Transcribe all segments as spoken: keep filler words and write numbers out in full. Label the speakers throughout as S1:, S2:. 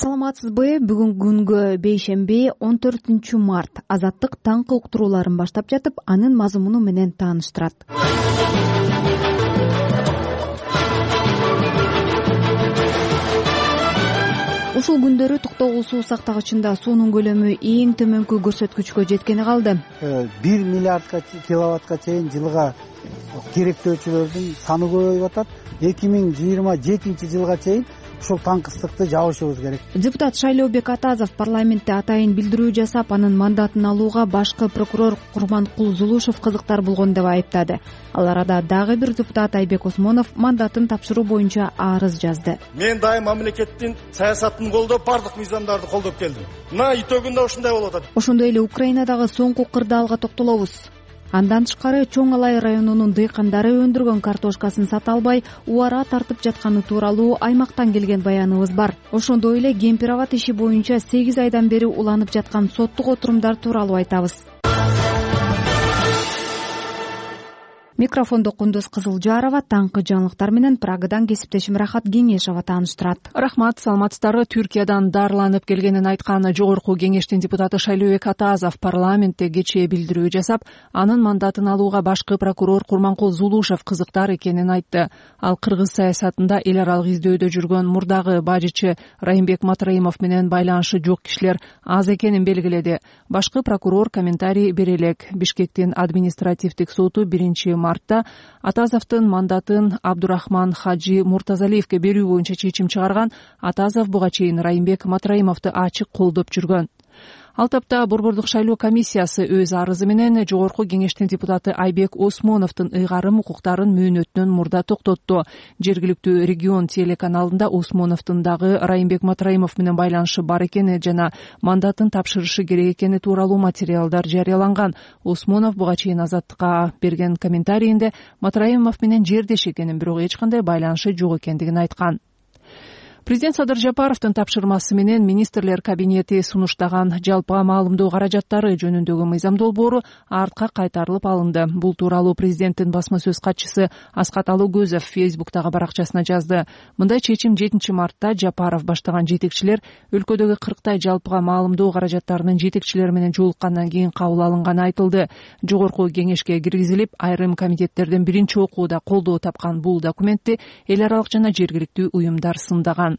S1: саламатсызбы? Бүгүн күнгө бейшемби он төртүнчү март. Азаттык таңкы уктурууларын баштап жатып, анын мазмуну менен тааныштырат. Ушул күндөрү Токтогул суу сактагычында суунун көлөмү эң төмөнкү көрсөткүчкө жеткени калды.
S2: бир миллиардка киловаттка чейин жылга керектөөчүлөрдүн саны көбөйүп атат. эки миң жыйырма жетинчи жылга чейин ушул таңкыстыкты жабышыбыз керек.
S1: Депутат Шайлообек Атазов парламентте атайын билдирүү жасап, анын мандатын алууга башкы прокурор Курманкул Зулушев кызыктар болгон деп айыптады. Ал арада дагы бир депутат Айбек Осмонов мандатын тапшыруу боюнча арыз жазды.
S3: Мен дайым мамлекеттин саясатын колдоп, бардык мыйзамдарды колдоп келдим. Мына итөгүндө ушундай болуп атат.
S1: Ошондой эле Украинадагы соңку кырдаалга токтолобуз. Андан тышкары Чоң Алай районунун дыйкандары өндүргөн картошкасын сата албай, убара тартып жатканы тууралуу аймактан келген баяныбыз бар. Ошондой эле Кемпироват иши боюнча сегиз айдан бери уланып жаткан соттук отурумдар тууралуу айтабыз. Микрофондо Кундуз Кызылжарова. Таңкы жаңылыктар менен Прагадан кесиптешим Рахат Кеңешова тааныштырат.
S4: Рахмат, саламатсыздарбы? Түркиядан дарыланып келгенин айткан Жогорку кеңештин депутаты Шайлообек Атазов парламентте кечээ билдирүү жасап, анын мандатын алууга башкы прокурор Курманкул Зулушев кызыктар экенин айтты. Ал кыргыз саясатында эл аралык издөөдө жүргөн мурдагы бажычы Райымбек Матраимов менен байланышы жок кишилер аз экенин белгиледи. Башкы прокурор комментарий бере элек. Бишкектин административдик соту биринчи мартта Атазовдун мандатын Абдурахман Хаджи Муртазалиевке берүү боюнча чечим чыгарган. Атазов буга чейин Райымбек Матраимовду ачык колдоп жүргөн. Ал тапта Борбордук шайлоо комиссиясы өз арызы менен Жогорку кеңештин депутаты Айбек Осмоновдун ыйгарым укуктарын мөөнөтүнөн мурда токтотту. Жергиликтүү регион телеканалында Осмоновдун дагы Райымбек Матраимов менен байланышы бар экени жана мандатын тапшырышы керек экени тууралуу материалдар жарыяланган. Осмонов буга чейин Азаттыкка берген комментарийинде Матраимов менен жердеш экенин, бирок эч кандай байланышы жок экендигин айткан. Президент Садыр Жапаровдун тапшырмасы менен министрлер кабинети сунуштаган жалпы маалымдоо каражаттары жөнүндөгү мыйзам долбоору артка кайтарылып алынды. Бул тууралуу президенттин басма сөз катчысы Аскат Алыгөзов Фейсбуктагы баракчасына жазды. Мындай чечим жетинчи мартта Жапаров баштаган жетекчилер өлкөдөгү кырктай жалпыга маалымдоо каражаттарынын жетекчилери менен жолуккандан кийин кабыл алынганы айтылды. Жогорку кеңешке киргизилип, айрым комитеттерден биринчи окууда колдоо тапкан бул документти эл аралык жана жергиликтүү уюмдар сындаган.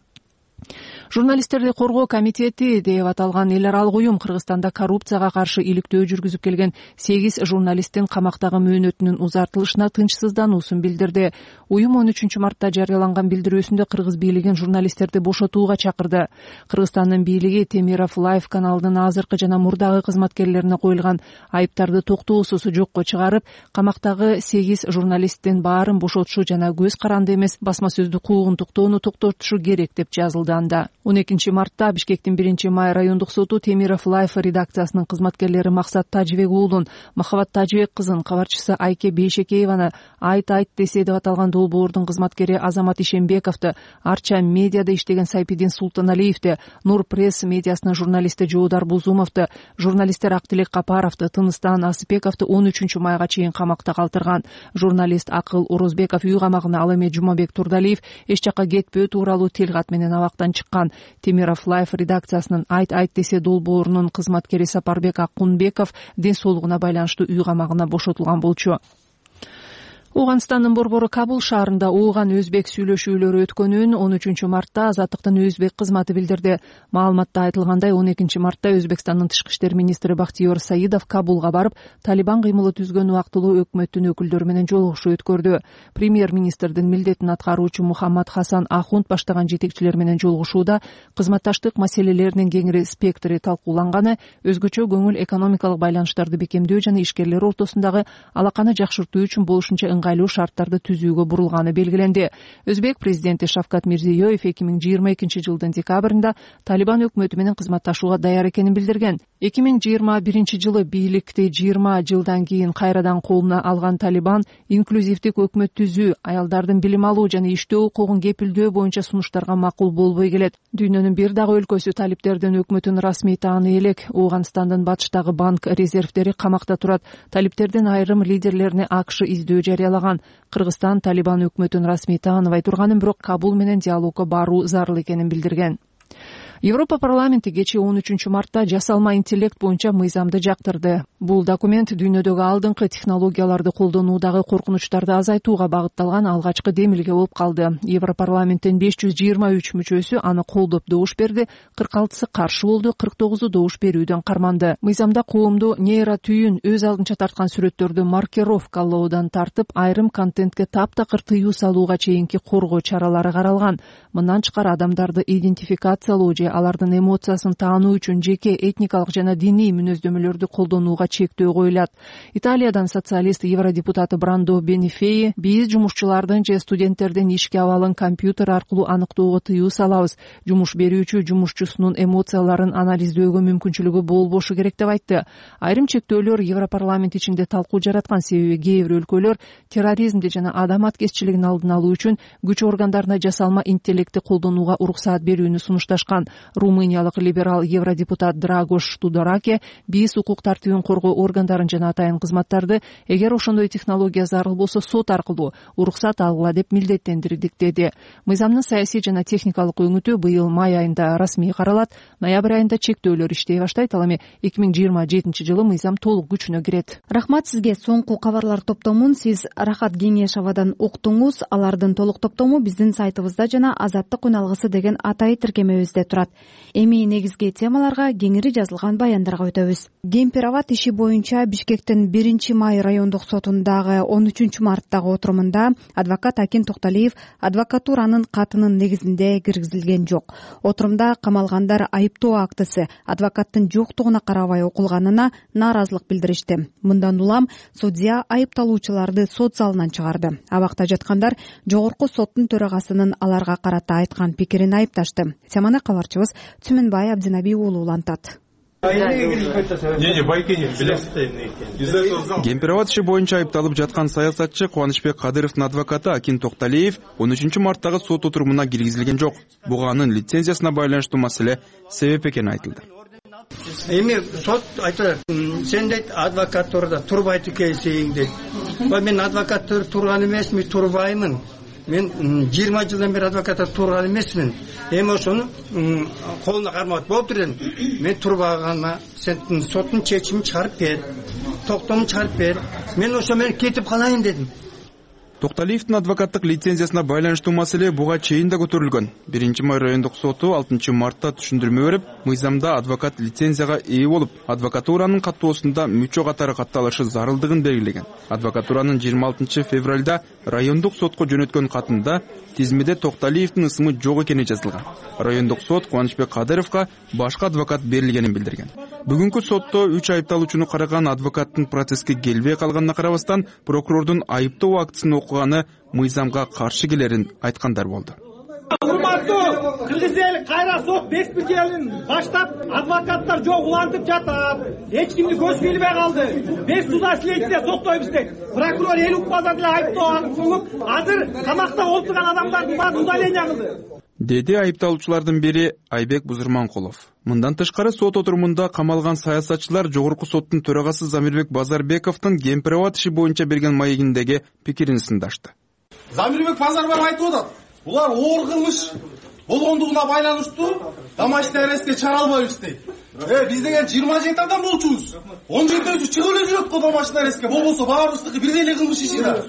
S4: Журналисттерди коргоо комитети деп аталган эл аралык уюм Кыргызстанда коррупцияга каршы иликтөө жүргүзүп келген сегиз журналисттин камактагы мөөнөтүнүн узартылышына тынчсыздануусун билдирди. Уюм он үчүнчү мартта жарыяланган билдирүүсүндө кыргыз бийлигин журналисттерди бошотууга чакырды. Кыргызстандын бийлиги Темиров Лайв каналынын азыркы жана мурдагы кызматкерлерине коюлган айыптарды токтоосуз жокко чыгарып, камактагы сегиз журналисттин баарын бошотушу жана көз каранды эмес басма сөздүк куугунтуктоону токтотушу керек деп жазылды анда. он экинчи мартта Бишкектин биринчи май райондук соту Темиров Лайф редакциясынын кызматкерлери Максат Тажибек уулун, Махабат Тажибек кызын, кабарчысы Айке Бейшекееваны айт айт десе деп аталган долбоордун кызматкери Азамат Ишембековду, Арча медиада иштеген Сайпидин Султаналиевди, Нур пресс медиасынын журналисти Жоодар Бузумовду, журналисттер Актилек Капаровду, Тыныстан Асыпековду он үчүнчү майга чейин камакта калтырган. Журналист Акыл Орозбеков үй камагына, ал эми Жумабек Турдалиев эч жакка кетпөө тууралуу тилкат менен абактан чыккан. Темиров Лайф редакциясынын айт айт десе долбоорунун кызматкери Сапарбек Акунбеков ден соолугуна байланыштуу үй камагына бошотулган болчу. Ооганстандын борбору Кабул шаарында ооган өзбек сүйлөшүүлөрү өткөнүн он үчүнчү мартта Азаттыктын өзбек кызматы билдирди. Маалыматта айтылгандай, он экинчи мартта Өзбекстандын тышкы иштер министри Бактиёр Саидов Кабулга барып, Талибан кыймылы түзгөн убактылуу өкмөттүн өкүлдөрү менен жолугушуу өткөрдү. Премьер-министрдин милдетин аткаруучу Мухаммад Хасан Ахунд баштаган жетекчилер менен жолугушууда кызматташтык маселелеринин кеңири спектри талкууланганы, өзгөчө көңүл экономикалык байланыштарды бекемдөө жана ишкерлер ортосундагы алаканы жакшыртуу үчүн болушунча ыңгайлуу шарттарды түзүүгө бурулганы белгиленди. Өзбек президенти Шавкат Мирзиёев эки миң жыйырма экинчи жылдын декабрында Талибан өкмөтү менен кызматташууга даяр экенин билдирген. эки миң жыйырма биринчи жылы бийликти жыйырма жылдан кийин кайрадан колуна алган Талибан инклюзивдик өкмөт түзүү, аялдардын билим алуу жана иштөө укугун кепилдөө боюнча сунуштарга макул болбой келет. Дүйнөнүн бир дагы өлкөсү талиптердин өкмөтүн расмий тааный элек. Ооганстандын батыштагы банк резервдери камакта турат. Талиптердин айрым лидерлерине АКШ издөө жарыялаган. Кыргызстан Талибан өкмөтүн расмий тааныбай турганын, бирок Кабул менен диалогко баруу зарыл экенин билдирген. Европа парламенти кечээ он үчүнчү мартта жасалма интеллект боюнча мыйзамды жактырды. Бул документ дүйнөдөгү алдыңкы технологияларды колдонуудагы коркунучтарды азайтууга багытталган алгачкы демилге болуп калды. Европарламенттин беш жүз жыйырма үч мүчөсү аны колдоп добуш берди, кырк алтысы каршы болду, кырк тогузу добуш берүүдөн карманды. Мыйзамда коомду нейротүйүн өз алдынча тарткан сүрөттөрдү маркировкалоодан тартып, айрым контентке таптакыр тыюу салууга чейинки коргоо чаралары каралган. Мындан тышкары адамдарды идентификациялоо же алардын эмоциясын таануу үчүн жеке этникалык жана диний мүнөздөмөлөрдү колдонууга чектөө коюлат. Италиядан социалист евродепутаты Брандо Бенифеи: биз жумушчулардын же студенттердин ишке абалын компьютер аркылуу аныктоого тыюу салабыз. Жумуш берүүчү жумушчусунун эмоцияларын анализдөөгө мүмкүнчүлүгү болбошу керек деп айтты. Айрым чектөөлөр Европарламент ичинде талкуу жараткан, себеби кээ бир өлкөлөр терроризмди жана адам аткезчилигин алдын алуу үчүн күч органдарына жасалма интеллектти колдонууга уруксаат берүүнү сунушташкан. Румыниялык либерал евродепутат Драгош Тудораке: биз укук тартибин коргоо органдарын жана атайын кызматтарды эгер ошондой технология зарыл болсо сот аркылуу уруксат алгыла деп милдеттендирдик деди. Мыйзамдын саясий жана техникалык өңүтү быйыл май айында расмий каралат. Ноябрь айында чектөөлөр иштей баштайт. Ал эми эки миң жыйырма жетинчи жылы мыйзам толук күчүнө кирет.
S1: Рахмат сизге. Соңку кабарлар топтомун сиз Рахат Кеңешовадан уктуңуз. Алардын толук топтому биздин сайтыбызда жана Азаттык үналгысы деген атай тиркемебизде турат. Эми негизги темаларга, кеңири жазылган баяндарга өтөбүз. Гемпироват иши боюнча Бишкектин биринчи май райондук сотундагы он үчүнчү марттагы отурумунда адвокат Акин Токталиев адвокатуранын катынын негизинде киргизилген жок. Отурумда камалгандар айыптоо актысы адвокаттын жоктугуна карабай окулганына нааразылык билдиришти. Мындан улам судья айыпталуучуларды сот залынан чыгарды. Абакта жаткандар жогорку соттун төрагасынын аларга карата айткан пикирин айыпташты. Семана кабарчыбыз Түмөнбай Абдинаби уулу улантат.
S5: Гемпироват иши боюнча айыпталып жаткан саясатчы Кубанычбек Кадыровдун адвокаты Акин Токталиев он үчүнчү марттагы сот отурумуна киргизилген жок. Буга анын лицензиясына байланыштуу маселе себеп экени айтылды.
S6: Эми сот айтты, сен дейт адвокатурада турбайт экенсиң дейт. Мен адвокаттар турган эмесмин, турбаймын. Мен жыйырма жылдан бери адвокатта турган эмесмин. Эми ошону колуна кармап болуптур элем. Мен турбаганма, сен соттун чечимин чыгарып бер, токтомун чыгарып бер. Мен ошо менен кетип калайын дедим.
S5: Токталиевдин адвокаттык лицензиясына байланыштуу маселе буга чейин да көтөрүлгөн. биринчи май райондук соту алтынчы мартта түшүндүрмө берип, мыйзамда адвокат лицензияга ээ болуп, адвокатуранын каттоосунда мүчө катары катталышы зарылдыгын белгилеген. Адвокатуранын жыйырма алтынчы февралда райондук сотко жөнөткөн катында тизмеде Токталиевдин ысымы жок экени жазылган. Райондук сот Кубанычбек Кадыровго башка адвокат берилгенин билдирген. Бүгүнкү сотто үч айыпталуучуну караган адвокаттын процесске келбей калганына карабастан, прокурордун айыптоо актысын окуганы мыйзамга каршы келерин айткандар болду.
S7: Урматтуу кыргыз эли, кайра сот беспределин баштап, адвокаттар жок улантып жатат. Эч кимди көз билбей калды. Без суда следствие соктойбуз дейт. Прокурор эл укпаса деле айыптоо кылып, азыр камакта отурган адамдардын баарын удаление кылды,
S5: деди айыпталуучулардын бири Айбек Бузурманкулов. Мындан тышкары сот отурумунда камалган саясатчылар жогорку соттун төрагасы Замирбек Базарбековдун Гемпироват иши боюнча берген маегиндеги пикирин сындашты.
S3: Замирбек Базарбеков айтып атат, булар оор кылмыш болгондугуна байланыштуу домашний арестке чыгара албайбыз дейт. Э, биз деген жыйырма жети адам болчубуз. он жетөөсү чыгып эле жүрөт го домашний арестке. Болбосо баарыбыздыкы бирдей эле кылмыш иши да,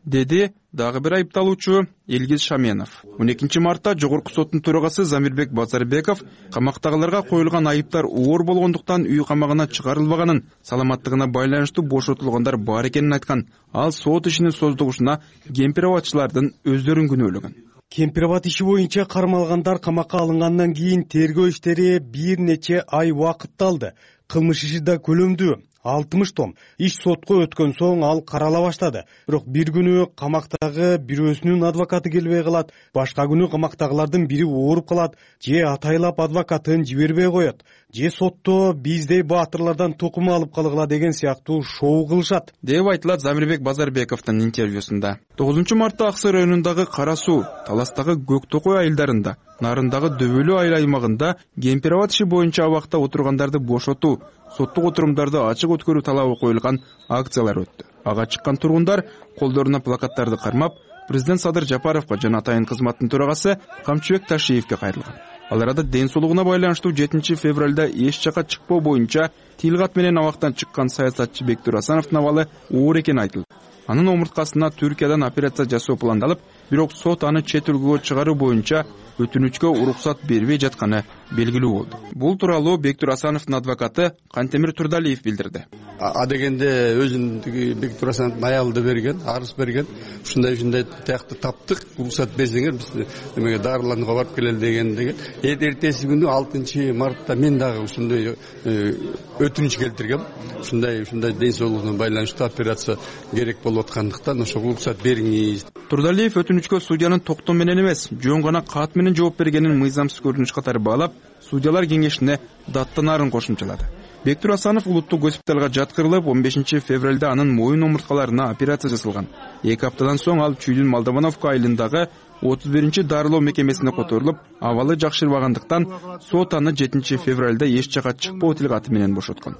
S5: деди дагы бир айыпталуучу Элгиз Шаменов. он экинчи мартта жогорку соттун төрагасы Замирбек Базарбеков камактагыларга коюлган айыптар оор болгондуктан үй камагына чыгарылбаганын, саламаттыгына байланыштуу бошотулгандар бар экенин айткан. Ал сот ишинин создугушуна гемпироватчылардын өздөрүн күнөөлөгөн.
S8: Гемпироват иши боюнча кармалгандар камакка алынгандан кийин тергөө иштери бир нече ай убакытты алды. Кылмыш иши да көлөмдүү, алтымыш том. Иш сотко өткөн соң ал карала баштады. Бирок бир күнү камактагы бирөөсүнүн адвокаты келбей калат, башка күнү камактагылардын бири ооруп калат, же атайлап адвокатын жибербей коет, же сотто биздей баатырлардан тукум алып калгыла деген сыяктуу шоу кылышат,
S5: деп айтылат Замирбек Базарбековдун интервьюсунда. тогузунчу мартта Аксы районундагы Кара Суу, Таластагы Көк Токой айылдарында, Нарындагы Дөбөлүү айыл аймагында Гемпироват иши боюнча абакта отургандарды бошотуу, соттук отурумдарды ачык өткөрүү талабы коюлган акциялар өттү. Ага чыккан тургундар колдоруна плакаттарды кармап, президент Садыр Жапаровго жана атайын кызматтын төрагасы Камчыбек Ташиевге кайрылган. Ал арада ден соолугуна байланыштуу жетинчи февралда эч жака чыкпоо боюнча тилгат менен абактан чыккан саясатчы Бектур Асановдун абалы оор экени айтылды. Анын омурткасына Түркиядан операция жасоо пландалып, бирок сот аны чет өлкөгө чыгаруу боюнча өтүнүчкө уруксат бербей жатканы белгилүү болду. Бул тууралуу Бектур Асановдун адвокаты Кантемир Турдалиев билдирди.
S9: А дегенде өзүн Бектур Асановдун аялы да берген, арыз берген. Ушундай ушундай тиякты таптык, уруксат берсеңер биз эмеге дарыланууга барып келели деген деген. Эртеси күнү алтынчы мартта мен дагы ушундай өтүнүч келтиргем. Ушундай ушундай ден соолугуна байланыштуу операция керек болуп аткандыктан ошого уруксат бериңиз.
S5: Турдалиев өтүнүчкө судьянын токтоо менен эмес, жөн гана кат менен жооп бергенин мыйзамсыз көрүнүш катары баалап, судьялар кеңешине даттанаарын кошумчалады. Бектур Асанов улуттук госпиталга жаткырылып, он бешинчи февралда анын моюн омурткаларына операция жасалган. эки аптадан соң ал Чүйдүн Молдовановка айылындагы отуз биринчи дарылоо мекемесине которулуп, абалы жакшырбагандыктан сот аны жетинчи февралда эч жака чыкпоо тилгаты менен бошоткон.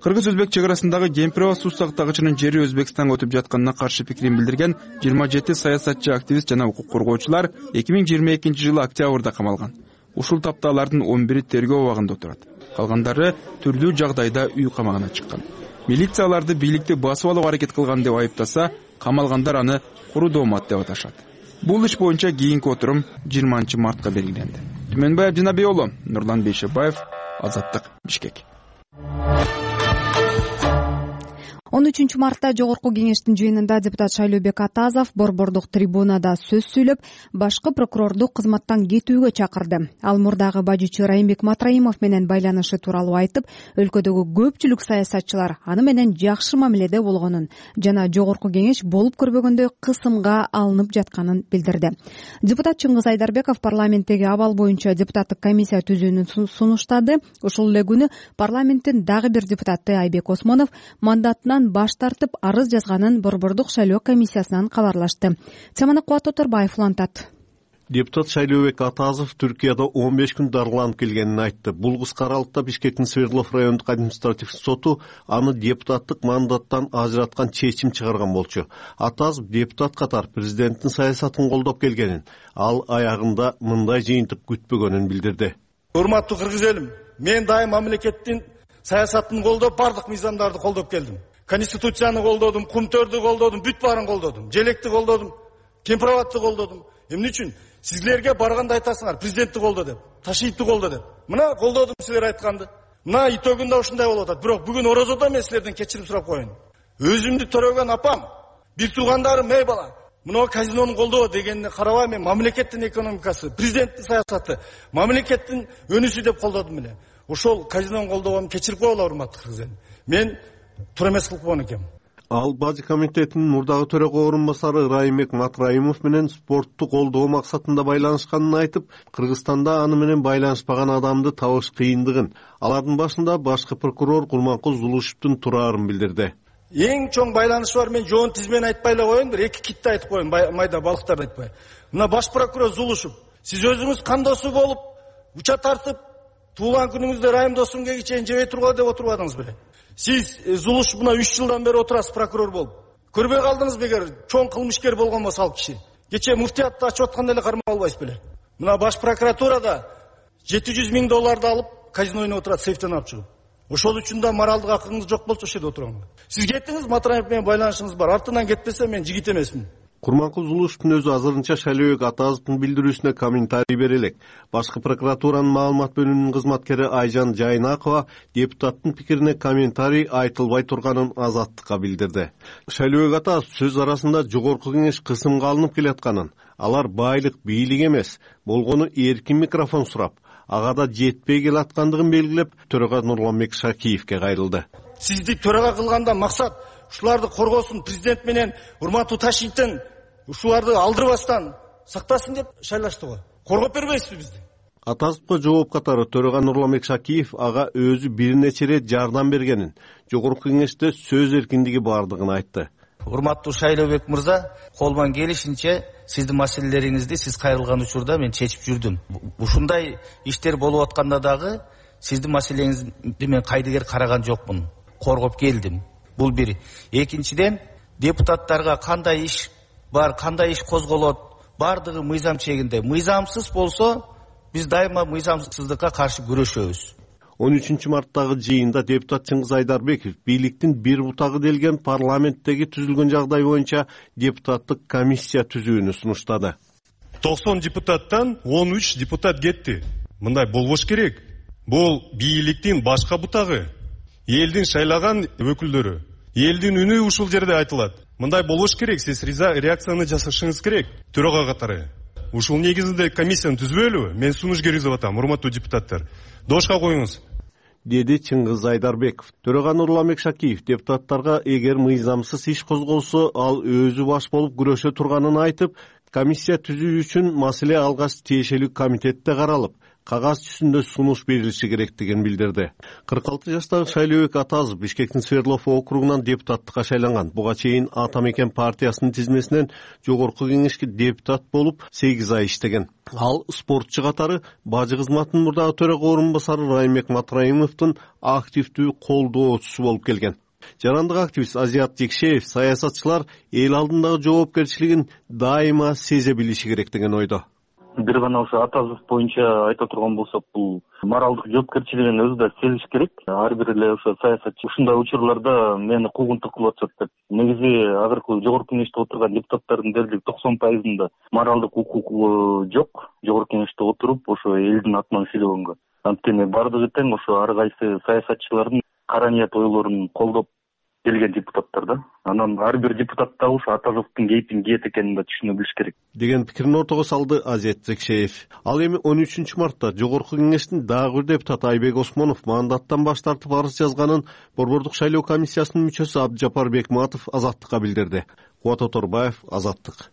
S5: Кыргыз-Өзбек чек арасындагы Кемпирова суу сактагычынын жери Өзбекстанга өтүп жатканына каршы пикирин билдирген жыйырма жети саясатчы, активист жана укук коргоочулар эки миң жыйырма экинчи жылы октябрда камалган. Ушул тапта алардын он бири тергөө абагында отурат. Калгандары түрдүү жагдайда үй камагына чыккан. Милиция аларды бийликти басып алууга аракет кылган деп айыптаса, камалгандар аны куру доомат деп аташат. Бул иш боюнча кийинки отурум жыйырманчы мартка белгиленди. Түмөнбай Абдинабий уулу, Нурлан Бейшебаев, Азаттык, Бишкек.
S1: он үчүнчү мартта Жогорку кеңештин жыйынында депутат Шайлообек Атазов борбордук трибунада сөз сүйлөп, башкы прокурорду кызматтан кетүүгө чакырды. Ал мурдагы бажычы Райымбек Матраимов менен байланышы тууралуу айтып, өлкөдөгү көпчүлүк саясатчылар аны менен жакшы мамиледе болгонун жана Жогорку кеңеш болуп көрбөгөндөй кысымга алынып жатканын билдирди. Депутат Чыңгыз Айдарбеков парламенттеги абал боюнча депутаттык комиссия түзүүнү сунуштады. Ушул эле күнү парламенттин дагы бир депутаты Айбек Осмонов мандатынан баш тартып арыз жазганын борбордук шайлоо комиссиясынан кабарлашты. Теманы Кубат Оторбаев улантат.
S10: Депутат Шайлообек Атазов Түркияда он беш күн дарыланып келгенин айтты. Бул кыска аралыкта Бишкектин Свердлов райондук административ соту аны депутаттык мандаттан ажыраткан чечим чыгарган болчу. Атазов депутат катар президенттин саясатын колдоп келгенин, ал аягында мындай жыйынтык күтпөгөнүн билдирди.
S11: Урматтуу кыргыз элим, мен дайым мамлекеттин саясатын колдоп, бардык мыйзамдарды колдоп келдим. Конституцияны колдодум, кумтөрдү колдодум, бүт баарын колдодум, желекти колдодум, Кемпироватты колдодум. Эмне үчүн? Сизлерге барганда айтасыңар, президентти колдо деп, Ташиевти колдо деп. Мына колдодум силер айтканды. Мына итогунда ушундай болуп атат. Бирок бүгүн орозодо мен силерден кечирим сурап коеюн. Өзүмдү төрөгөн апам, бир туугандарым, эй бала, мына казинону колдоо дегенине карабай мен мамлекеттин экономикасы, президенттин саясаты, мамлекеттин өнүсү деп колдодум эле. Ошол казинону колдогонун кечирип койгула, урматтуу кыргыз элим. Мен тура эмес кылып койгон экенмин.
S10: Ал Бажы комитетинин мурдагы төрөгө орун басары Райымбек Матраимов менен спортту колдоо максатында байланышканын айтып, Кыргызстанда аны менен байланышпаган адамды табыш кыйындыгын, алардын башында башкы прокурор Курманкул Зулушевдун турарын билдирди.
S11: Эң чоң байланышы бар, мен жоон тизмени айтпай эле коеюн, бир эки китти айтып коеюн, майда балыктарды айтпай. Мына баш прокурор Зулушев, сиз өзүңүз кандосу болуп, уча тартып, туулган күнүңүздө Райым досумге чейин жебей тургула деп отурбадыңыз беле? Сиз Зулуш мына үч жылдан бери отурасыз прокурор болуп. Көрбөй калдыңызбы эгер чоң кылмышкер болгон болсо ал киши? Кече муфтиятты ачып атканда эле кармап албайсыз беле? Мына баш прокуратурада жети жүз миң долларды алып казино ойноп отурат, сейфтен алып чыгып. Ошол үчүн да моралдык акыңыз жок болчу, ошол жерде отурам. Сиз кеттиңиз, Матраев менен байланышыңыз бар. Артынан кетпесе мен жигит эмесмин.
S10: Курманкул Зулушевдун өзү азырынча Шайлообек Атазовдун билдирүүсүнө комментарий бере элек. Башкы прокуратуранын маалымат бөлүмүнүн кызматкери Айжан Жайнакова депутаттын пикирине комментарий айтылбай турганын Азаттыкка билдирди. Шайлообек Атазов сөз арасында Жогорку кеңеш кысымга алынып келатканын, алар байлык, бийлик эмес, болгону эркин микрофон сурап, ага да жетпей келаткандыгын белгилеп, төрага Нурланбек Шакиевке кайрылды.
S11: Сизди төрага кылганда максат ушуларды коргосун, президент менен урматтуу Ташиевтен ушуларды алдырбастан сактасын деп шайлашты го. Коргоп бербейсизби бизди?
S10: Атазовго жооп катары төрага Нурланбек Шакиев ага өзү бир нече ирет жардам бергенин, жогорку кеңеште сөз эркиндиги бардыгын айтты.
S12: Урматтуу Шайлообек мырза, колуман келишинче сиздин маселелериңизди сиз кайрылган учурда мен чечип жүрдүм. Ушундай иштер болуп атканда дагы сиздин маселеңизди мен кайдыгер караган жокмун. Коргоп келдим. Бул бир. Экинчиден, депутаттарга кандай иш бар, кандай иш козголот, бардыгы мыйзам чегинде. Мыйзамсыз болсо, биз дайыма мыйзамсыздыкка каршы күрөшөбүз.
S10: он үчүнчү марттагы жыйында депутат Чыңгыз Айдарбеков бийликтин бир бутагы делген парламенттеги түзүлгөн жагдай боюнча депутаттык комиссия түзүүнү сунуштады.
S13: токсон депутаттан он үч депутат кетти. Мындай болбош керек. Бул бийликтин башка бутагы, элдин шайлаган өкүлдөрү. Элдин үнү ушул жерде айтылат. Мындай болбош керек. Сиз реакцияны жасашыңыз керек. Төрага катары. Ушул негизинде комиссияны түзбөйлүбү? Мен сунуш көргөзүп атам, урматтуу депутаттар. Дошка коюңуз.
S10: Деди Чыңгыз Айдарбеков. Төрага Нурламек Шакиев депутаттарга эгер мыйзамсыз иш козголсо, ал өзү баш болуп күрөшө турганын айтып, комиссия түзүү үчүн маселе алгач тиешелүү комитетте каралып, кагаз жүзүндө сунуш берилиши керектигин билдирди. кырк алты жаштагы Шайлообек Атазов Бишкектин Свердлов округунан депутаттыкка шайланган. Буга чейин Ата Мекен партиясынын тизмесинен жогорку кеңешке депутат болуп сегиз ай иштеген. Ал спортчу катары бажы кызматынын мурдагы төрага орун басары Райымбек Матраимовдун активдүү колдоочусу болуп келген. Жарандык активист Азият Жекшеев саясатчылар эл алдындагы жоопкерчилигин дайыма сезе билиши керек деген ойдо.
S14: Бир гана ошо Атазов боюнча айта турган болсок, бул моралдык жоопкерчилигин өзү да сезиш керек. Ар бир эле ошо саясатчы ушундай учурларда мени куугунтук кылып атышат деп. Негизи азыркы жогорку кеңеште отурган депутаттардын дерлик токсон пайызында моралдык укугу жок. Жогорку кеңеште отуруп ошо элдин атынан сүйлөгөнгө. Анткени бардыгы тең ошо ар кайсы саясатчылардын кара ниет ойлорун колдоп келген депутаттар да. Анан ар бир депутат да ошо Атазовдун кейпин кийет экенин да түшүнө билиш керек
S10: деген пикирин ортого салды Азият Жекшеев. Ал эми он үчүнчү мартта жогорку кеңештин дагы бир депутаты Айбек Осмонов мандаттан баш тартып арыз жазганын Борбордук шайлоо комиссиясынын мүчөсү Абдыжапар Бекматов Азаттыкка билдирди. Кубат Оторбаев, Азаттык.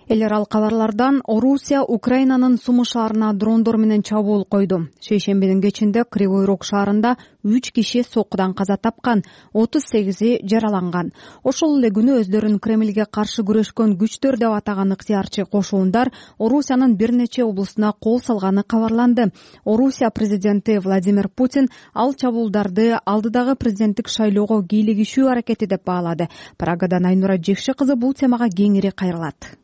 S1: Эл аралык кабарлардан Орусия Украинанын Сумы шаарына дрондор менен чабуул койду. Шейшембинин кечинде Кривой Рог шаарында үч киши соккудан каза тапкан, отуз сегизи жараланган. Ошол эле күнү өздөрүн Кремльге каршы күрөшкөн күчтөр деп атаган ыктыярчы кошуундар Орусиянын бир нече облусуна кол салганы кабарланды. Орусия президенти Владимир Путин ал чабуулдарды алдыдагы президенттик шайлоого кийлигишүү аракети деп баалады. Прагадан Айнура Жекше кызы бул темага кеңири кайрылат.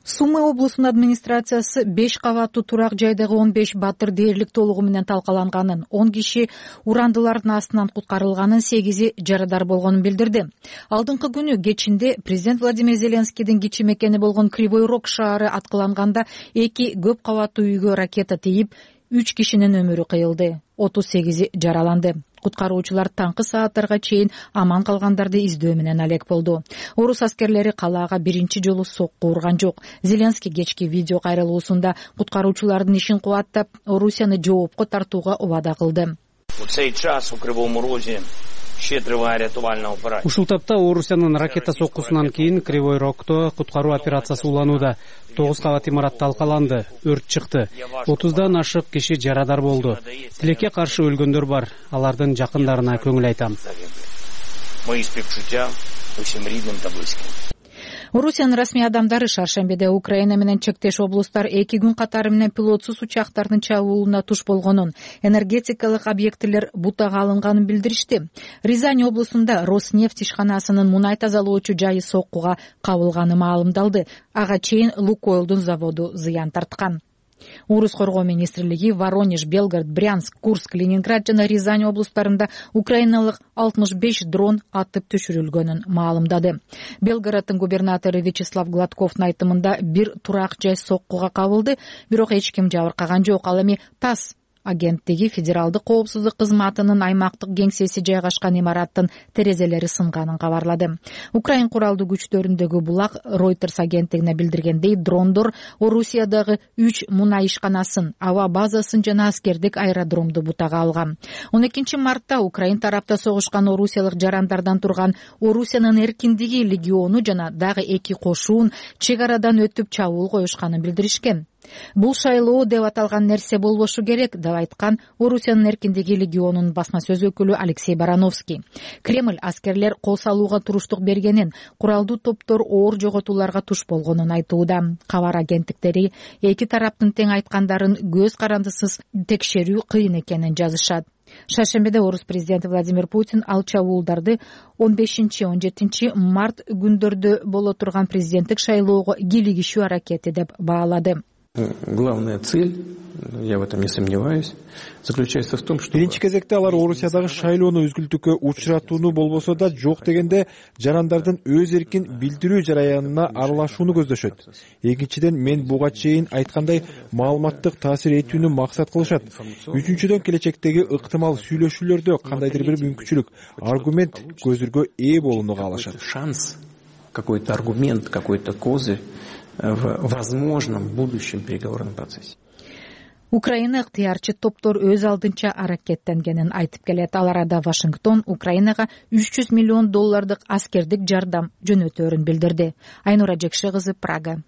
S4: Сумы облусунун администрациясы беш кабаттуу турак жайдагы он беш батыр дээрлик толугу менен талкаланганын, он киши урандылардын астынан куткарылганын, сегизи жарадар болгонун билдирди. Алдыңкы күнү кечинде президент Владимир Зеленскийдин кичи мекени болгон Кривой Рог шаары аткыланганда эки көп кабаттуу үйгө ракета тийип, үч кишинин өмүрү кыйылды, отуз сегизи жараланды. Куткаруучулар таңкы сааттарга чейин аман калгандарды издөө менен алек болду. Орус аскерлери калаага биринчи жолу сокку урган жок. Зеленский кечки видео кайрылуусунда куткаруучулардын ишин кубаттап, Орусияны жоопко тартууга убада кылды.
S15: Ушул тапта Орусиянын ракета соккусунан кийин Кривой Рогдо куткаруу операциясы уланууда. тогуз кабат имарат талкаланды, өрт чыкты. отуздан ашык киши жарадар болду. Тилекке каршы өлгөндөр бар. Алардын жакындарына көңүл айтам.
S4: Орусиянын расмий адамдары шаршембиде Украина менен чектеш облустар эки күн катары менен пилотсуз учактардын чабуулуна туш болгонун, энергетикалык объектилер бутага алынганын билдиришти. Рязань облусунда Роснефть ишканасынын мунай тазалоочу жайы соккуга кабылганы маалымдалды. Ага чейин Лукойлдун заводу зыян тарткан. Урус коргоо министрлиги Воронеж, Белгород, Брянск, Курск, Ленинград жана Рязань облустарында украиналык алтымыш беш дрон атып түшүрүлгөнүн маалымдады. Белгороддун губернатору Вячеслав Гладковдун айтымында бир турак жай соккуга кабылды, бирок эч ким жабыркаган жок. Ал эми ТАСС агенттиги федералдык коопсуздук кызматынын аймактык кеңсеси жайгашкан имараттын терезелери сынганын кабарлады. Украин куралдуу күчтөрүндөгү булак Reuters агенттигине билдиргендей, дрондор Орусиядагы үч мунай ишканасын, аба базасын жана аскердик аэродромду бутага алган. он экинчи мартта Украин тарапта согушкан орусиялык жарандардан турган Орусиянын эркиндиги легиону жана дагы эки кошуун чек арадан өтүп чабуул коюшканын билдиришкен. Бул шайлоо деп аталган нерсе болбошу керек деп айткан Орусиянын эркиндиги легионунун басма сөз өкүлү Алексей Барановский. Кремль аскерлер кол салууга туруштук бергенин, куралдуу топтор оор жоготууларга туш болгонун айтууда. Кабар агенттиктери эки тараптын тең айткандарын көз карандысыз текшерүү кыйын экенин жазышат.
S16: Шаршембиде орус президенти Владимир Путин алча уулдарды он бешинчи он жетинчи март күндөрдө боло турган президенттик шайлоого кийлигишүү аракети деп баалады.
S17: Главная цель, я в этом не сомневаюсь, заключается в том, что
S18: биринчи кезекте алар Орусиядагы шайлоону үзгүлтүккө учуратууну болбосо да жок дегенде жарандардын өз эркин билдирүү жараянына аралашууну көздөшөт. Экинчиден, мен буга чейин айткандай маалыматтык таасир этүүнү максат кылышат. Үчүнчүдөн, келечектеги ыктымал сүйлөшүүлөрдө кандайдыр бир мүмкүнчүлүк, аргумент, көзүргө ээ болууну каалашат.
S17: Шанс, какой-то аргумент, какой-то козырь в возможном будущем переговорном процессе.
S16: Украина ыктыярчы топтор өз алдынча аракеттенгенин айтып келет. Ал арада Вашингтон Украинага үч жүз миллион доллардык аскердик жардам жөнөтөөрүн билдирди. Айнура Жекше кызы, Прага.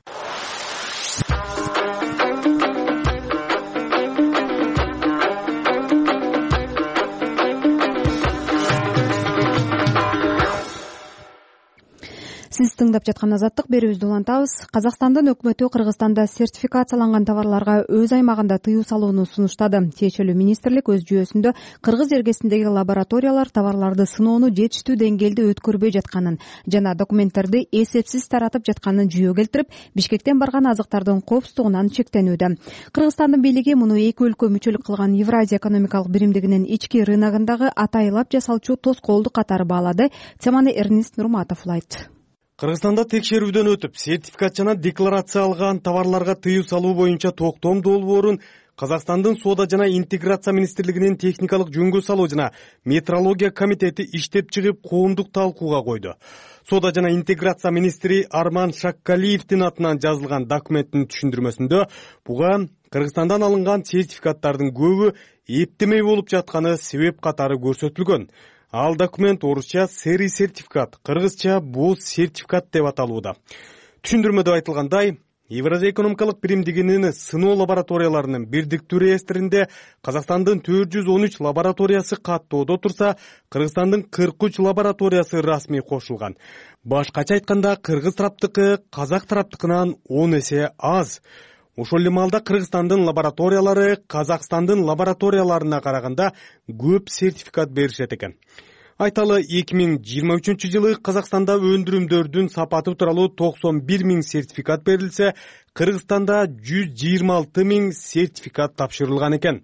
S1: Сиз тыңдап жаткан Азаттык, берүүбүздү улантабыз. Казакстандын өкмөтү Кыргызстанда сертификацияланган товарларга өз аймагында тыюу салууну сунуштады. Тиешелүү министрлик өз жүйөсүндө Кыргыз эргесиндеги лабораториялар товарларды сыноону жетиштүү деңгээлде өткөрбөй жатканын жана документтерди эсепсиз таратып жатканын жүйө келтирип, Бишкектен барган азыктардын коопсуздугунан чектенүүдө. Кыргызстандын бийлиги муну эки өлкө мүчөлүк кылган Евразия экономикалык биримдигинин ички рыногундагы атайылап жасалчу тоскоолдук катары баалады. Теманы Эрнест Нурматов улайт.
S8: Кыргызстанда текшерүүдөн өтүп, сертификат жана декларация алган товарларга тыюу салуу боюнча токтом долбоорун Казакстандын Соода жана интеграция министрлигинин техникалык жөнгө салуу жана метрология комитети иштеп чыгып, коомдук талкууга койду. Соода жана интеграция министри Арман Шаккалиевдин атынан жазылган документтин түшүндүрмөсүндө буга Кыргызстандан алынган сертификаттардын көбү эптемей болуп жатканы себеп катары көрсөтүлгөн. Ал документ орусча сери сертификат, кыргызча боз сертификат деп аталууда. Түшүндүрмөдө айтылгандай, Евразия экономикалык биримдигинин сыноо лабораторияларынын бирдиктүү реестринде Казакстандын төрт жүз он үч лабораториясы каттоодо турса, Кыргызстандын кырк үч лабораториясы расмий кошулган. Башкача айтканда, кыргыз тараптыкы казак тараптыкынан он эсе аз. Ошол эле маалда Кыргызстандын лабораториялары Казакстандын лабораторияларына караганда көп сертификат беришет экен. Айталы, эки миң жыйырма үчүнчү жылы Казакстанда өндүрүмдөрдүн сапаты тууралуу токсон бир миң сертификат берилсе, Кыргызстанда жүз жыйырма алты миң сертификат тапшырылган экен.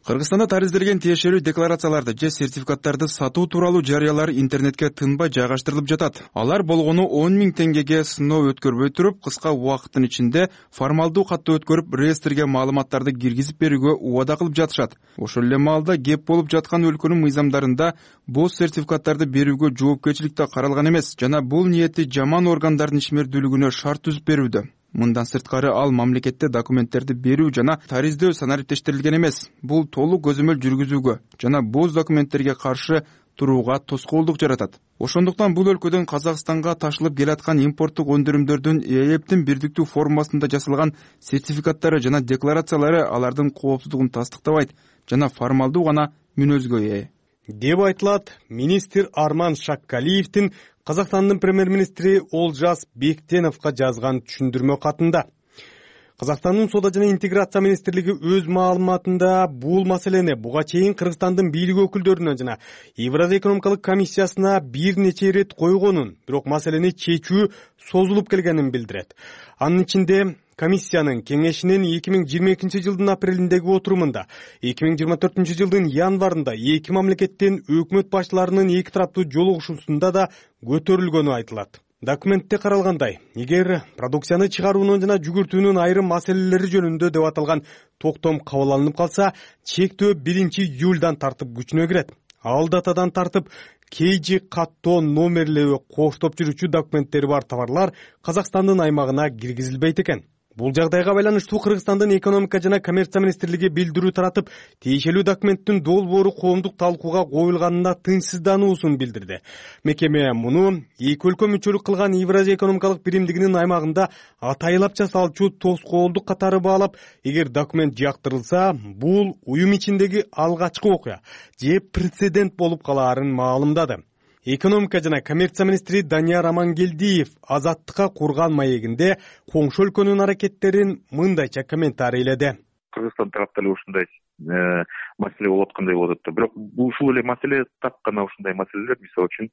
S5: Кыргызстанда таризделген тиешелүү декларацияларды же сертификаттарды сатуу тууралуу жарыялар интернетке тынбай жайгаштырылып жатат. Алар болгону он миң теңгеге сыноо өткөрбөй туруп, кыска убакыттын ичинде формалдуу катты өткөрүп, реестрге маалыматтарды киргизип берүүгө убада кылып жатышат. Ошол эле маалда кеп болуп жаткан өлкөнүн мыйзамдарында боз сертификаттарды берүүгө жоопкерчилик да каралган эмес жана бул ниети жаман органдардын ишмердүүлүгүнө шарт түзүп берүүдө. Мындан сырткары ал мамлекетте документтерди берүү жана тариздөө санариптештирилген эмес. Бул толук көзөмөл жүргүзүүгө жана боз документтерге каршы турууга тоскоолдук жаратат. Ошондуктан бул өлкөдөн Казакстанга ташылып келаткан импорттук өндүрүмдөрдүн ЭЭПтин бирдиктүү формасында жасалган сертификаттары жана декларациялары алардын коопсуздугун тастыктабайт жана формалдуу гана мүнөзгө ээ
S8: деп айтылат министр Арман Шаккалиевдин Казакстандын премьер-министри Олжас Бектеновго жазган түшүндүрмө катында. Казакстандын Соода жана интеграция министрлиги өз маалыматында бул маселени буга чейин Кыргызстандын бийлик өкүлдөрүнө жана Евразия экономикалык комиссиясына бир нече ирет койгонун, бирок маселени чечүү созулуп келгенин билдирет. Анын ичинде комиссиянын кеңешинин эки миң жыйырма экинчи жылдын апрелиндеги отурумунда, эки миң жыйырма төртүнчү жылдын январында эки мамлекеттин өкмөт башчыларынын эки тараптуу жолугушуусунда да көтөрүлгөнү айтылат. Документте каралгандай, эгер продукцияны чыгаруунун жана жүгүртүүнүн айрым маселелери жөнүндө деп аталган токтом кабыл алынып калса, чектөө биринчи июлдан тартып күчүнө кирет. Ал датадан тартып кейжи каттоо номерлеби коштоп жүрүүчү документтери бар товарлар Казакстандын аймагына киргизилбейт экен. Бул жагдайга байланыштуу Кыргызстандын экономика жана коммерция министрлиги билдирүү таратып, тиешелүү документтин долбоору коомдук талкууга коюлганына тынчсыздануусун билдирди. Мекеме муну эки өлкө мүчөлүк кылган Евразия экономикалык биримдигинин аймагында атайылап жасалчу тоскоолдук катары баалап, эгер документ жактырылса, бул уюм ичиндеги алгачкы окуя же прецедент болуп калаарын маалымдады. Экономика жана коммерция министри Данияр Амангелдиев Азаттыкка курган маегинде коңшу өлкөнүн аракеттерин мындайча комментарийледи.
S19: Кыргызстан тарапта эле ушундай маселе болуп аткандай болот да. Бирок ушул эле маселе так гана ушундай маселелер мисалы үчүн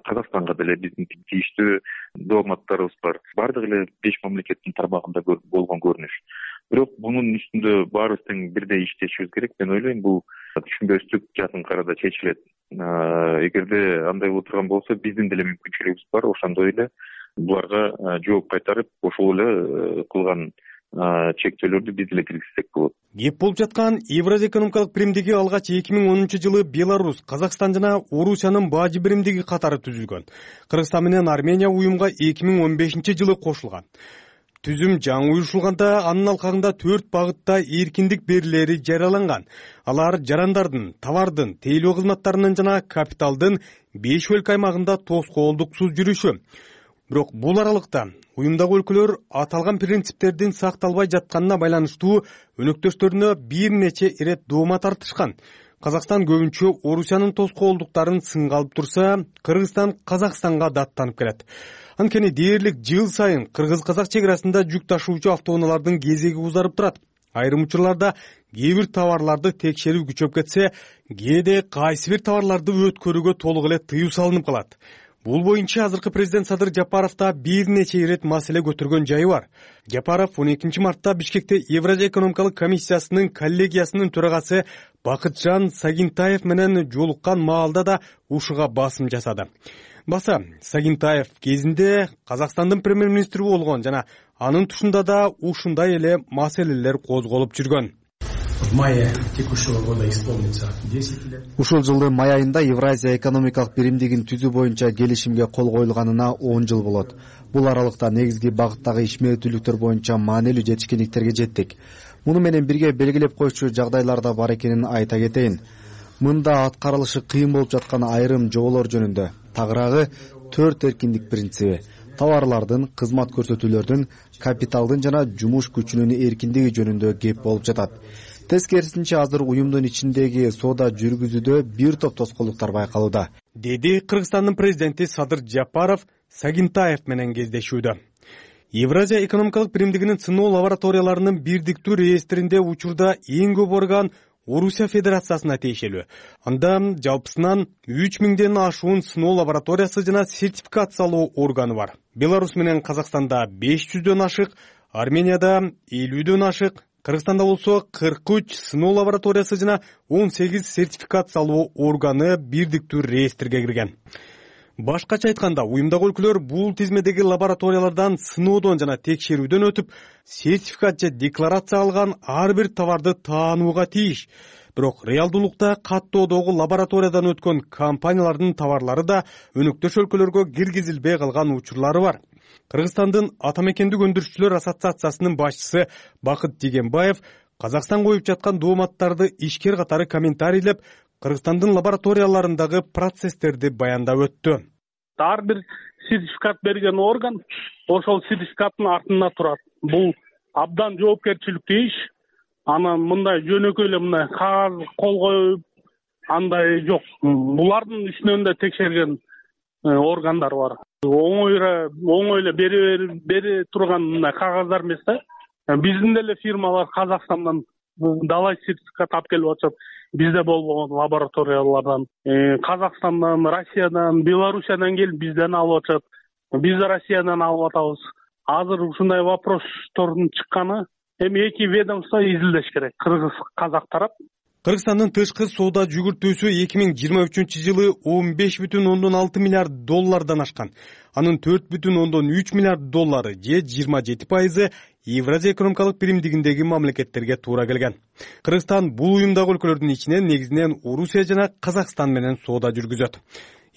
S19: Казакстанга деле биздин тийиштүү дипломаттарыбыз бар. Бардык эле беш мамлекеттин тармагында болгон көрүнүш. Бирок мунун үстүндө баарыбыз тең бирдей иштешибиз керек. Мен ойлойм бул түшүнбөстүк жакын арада чечилет. Эгерде андай боло турган болсо биздин деле мүмкүнчүлүгүбүз бар. Ошондой эле буларга жооп кайтарып ошол эле кылган чектөөлөрдү биз деле киргизсек болот.
S8: Кеп болуп жаткан Евразия экономикалык биримдиги алгач эки миң онунчу жылы Беларусь, Казакстан жана Орусиянын бажы биримдиги катары түзүлгөн. Кыргызстан менен Армения уюмга эки миң он бешинчи жылы кошулган. Түзүм жаңы уюшулганда анын алкагында төрт багытта эркиндик берилери жарыяланган. Алар жарандардын, товардын, тейлөө кызматтарынын жана капиталдын беш өлкө аймагында тоскоолдуксуз жүрүшү. Бирок бул аралыкта уюмдагы өлкөлөр аталган принциптердин сакталбай жатканына байланыштуу өнөктөштөрүнө бир нече ирет доoma тартышкан. Казакстан көбүнчө Орусиянын тоскоолдуктарын сынга алып турса, Кыргызстан Казакстанга даттанып келет. Анткени дээрлик жыл сайын кыргыз-казак чек арасында жүк ташуучу автоунаалардын кезеги узарып турат. Айрым учурларда кээ бир товарларды текшерүү күчөп кетсе, кээде кайсы бир товарларды өткөрүүгө толук эле тыюу салынып калат. Бул боюнча азыркы президент Садыр Жапаровда бир нече ирет маселе көтөргөн жайы бар. Жапаров он экинчи мартта Бишкекте Евразия экономикалык комиссиясынын коллегиясынын төрагасы Бакытжан Сагинтаев менен жолуккан маалда да ушуга басым жасады. Баса, Сагинтаев кезинде Казакстандын премьер-министри болгон жана анын тушунда да ушундай эле маселелер козголуп жүргөн.
S20: В мае текущего года исполнится десять лет.
S21: Ушул жылдын май айында Евразия экономикалык биримдигин түзүү боюнча келишимге кол коюлганына он жыл болот. Бул аралыкта негизги багыттагы ишмердүүлүктөр боюнча маанилүү жетишкендиктерге жеттик. Муну менен бирге белгилеп коюучу жагдайлар да бар экенин айта кетейин. Мында аткарылышы кыйын болуп жаткан айрым жоболор жөнүндө. Тагыраагы төрт эркиндик принциби. Товарлардын, кызмат көрсөтүүлөрдүн, капиталдын жана жумуш күчүнүн эркиндиги жөнүндө кеп болуп жатат. Тескерисинче азыр уюмдун ичиндеги соода жүргүзүүдө бир топ тоскоолдуктар байкалууда,
S8: деди Кыргызстандын президенти Садыр Жапаров Сагинтаев менен кездешүүдө. Евразия экономикалык биримдигинин сыноо лабораторияларынын бирдиктүү реестринде учурда эң көп орган Орусия Федерациясына тиешелүү. Анда жалпысынан үч миңден ашуун сыноо лабораториясы жана сертификациялоо органы бар. Беларусь менен Казакстанда беш жүздөн ашык, Арменияда элүүдөн ашык, Кыргызстанда болсо кырк үч сыноо лабораториясы жана он сегиз сертификациялоо органы бирдиктүү реестрге кирген. Башкача айтканда, уюмдагы өлкөлөр бул тизмедеги лабораториялардан сыноодон жана текшерүүдөн өтүп, сертификат же декларация алган ар бир товарды таанууга тийиш. Бирок реалдуулукта каттоодогу лабораториядан өткөн компаниялардын товарлары да өнөктөш өлкөлөргө киргизилбей калган учурлары бар. Кыргызстандын ата мекендик өндүрүшчүлөр ассоциациясынын башчысы Бакыт Дегенбаев Казакстан коюп жаткан дооматтарды ишкер катары комментарийлеп, Кыргызстандын лабораторияларындагы процесстерди баяндап өттү.
S22: Ар бир сертификат берген орган ошол сертификаттын артында турат. Бул абдан жоопкерчиликтүү иш. Анан мындай жөнөкөй эле мындай кагаз кол коюп андай жок. Булардын ичинен да текшерген органдар бар. Оңой оңой эле бере бере турган мындай кагаздар эмес да. Биздин деле фирмалар Казакстандан далай сертификат алып келип атышат. Бизде болбогон лабораториялардан, Казакстандан, Россиядан, Белоруссиядан келип бизден алып атышат. Биз Россиядан алып атабыз. Азыр ушундай вопростордун чыкканы эми эки ведомство изилдеш керек. Кыргыз, казак тарап.
S8: Кыргызстандын тышкы соода жүгүртүүсү эки миң жыйырма үчүнчү жылы он беш бүтүн ондон алты миллиард доллардан ашкан. Анын төрт бүтүн ондон үч миллиард доллары же жыйырма жети пайызы Евразия экономикалык биримдигиндеги мамлекеттерге туура келген. Кыргызстан бул уюмдагы өлкөлөрдүн ичинен негизинен Орусия жана Казакстан менен соода жүргүзөт.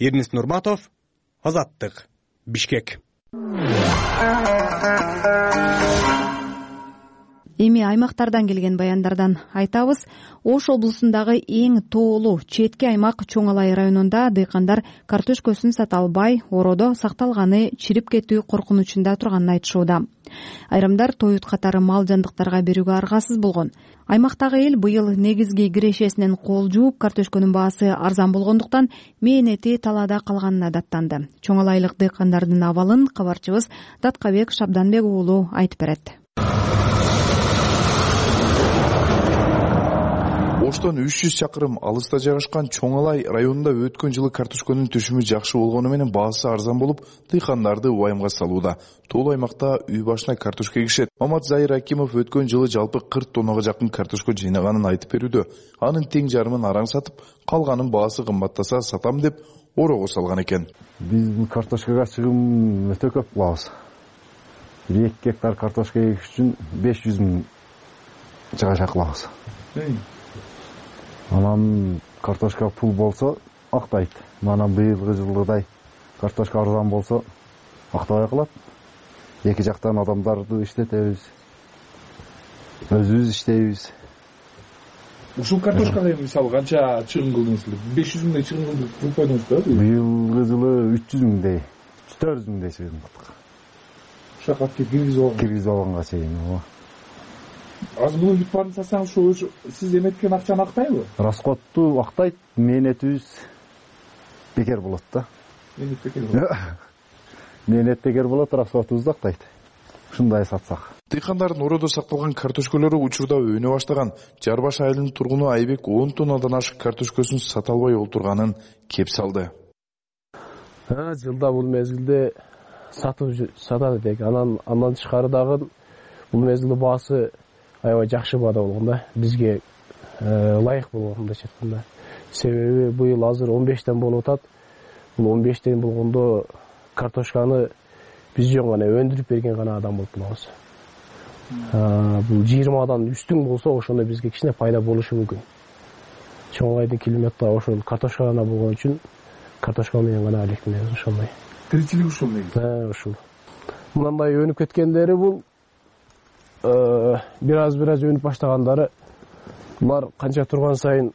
S8: Эрнис Нурматов, Азаттык, Бишкек.
S1: Эми аймактардан келген баяндардан айтабыз. Ош облусундагы эң тоолуу четки аймак Чоң Алай районунда дыйкандар картошкөсүн сата албай, ороодо сакталганы чирип кетүү коркунучунда турганын айтышууда. Айрымдар тоют катары мал жандыктарга берүүгө аргасыз болгон. Аймактагы эл быйыл негизги кирешесинен кол жууп, картошкөнүн баасы арзан болгондуктан мээнети талаада калганына даттанды. Чоң Алайлык дыйкандардын абалын кабарчыбыз Даткабек Шабданбек уулу айтып берет.
S2: Оштон үч жүз чакырым алыста жайгашкан Чоң Алай районунда өткөн жылы картошконун түшүмү жакшы болгону менен баасы арзан болуп, дыйкандарды убайымга салууда. Тоол аймакта үй башына картошка эгишет. Мамат Зайыр Акимов өткөн жылы жалпы кырк тоннага жакын картошка жыйнаганын айтып берүүдө. Анын тең жарымын араң сатып, калганын баасы кымбаттаса сатам деп орого салган экен.
S6: Биз бул картошкага чыгым өтө көп кылабыз. эки гектар картошка эгиш үчүн беш жүз миң чыгаша кылабыз. Анан картошка пул болсо актайт. Манан быйылгы жылдай картошка арзан болсо актабай калат. Эки жактан адамдарды иштетебиз. Өзүбүз иштейбиз.
S18: Ушул картошкага мисалы канча чыгым кылдыңыз? беш жүз миңдей чыгым кылып койдуңуз да?
S6: Быйылгы жылы үч жүз миңдей, төрт жүз миңдей чыгым кылдык.
S18: Ушака киргизип алган.
S6: Киргизип алганга чейин, ооба.
S18: Азыр муну бүт баарын сатсаңыз ошо сиз эметкен акчаны актайбы?
S6: Расходту актайт, мээнетибиз бекер болот да.
S18: Мээнет бекер болот.
S6: Мээнет бекер болот, расходубузду актайт. Ушундай сатсак.
S2: Дыйкандардын ородо сакталган картошкалары учурда өнө баштаган. Жарбаш айылынын тургуну Айбек он тоннадан ашык картошкасын сата албай олтурганын кеп салды.
S23: Жылда бул мезгилде сатып сатат элек. Анан андан тышкары дагы бул мезгилде баасы аябай жакшы баада болгон да. Бизге ылайык болгон мындайча айтканда. Себеби быйыл азыр он бештен болуп атат. Бул он бештен болгондо картошканы биз жөн гана өндүрүп берген гана адам болуп калабыз. Бул жыйырмадан үстүн болсо ошондо бизге кичине пайда болушу мүмкүн. Чоң Алайдын климатта ошол картошка гана болгон үчүн картошка менен гана алектенебиз ошондой.
S18: Тиричилик ушул негизи.
S23: Э, ушул. Мындай өнүп кеткендери бул бир аз бир аз өнүп баштагандары булар канча турган сайын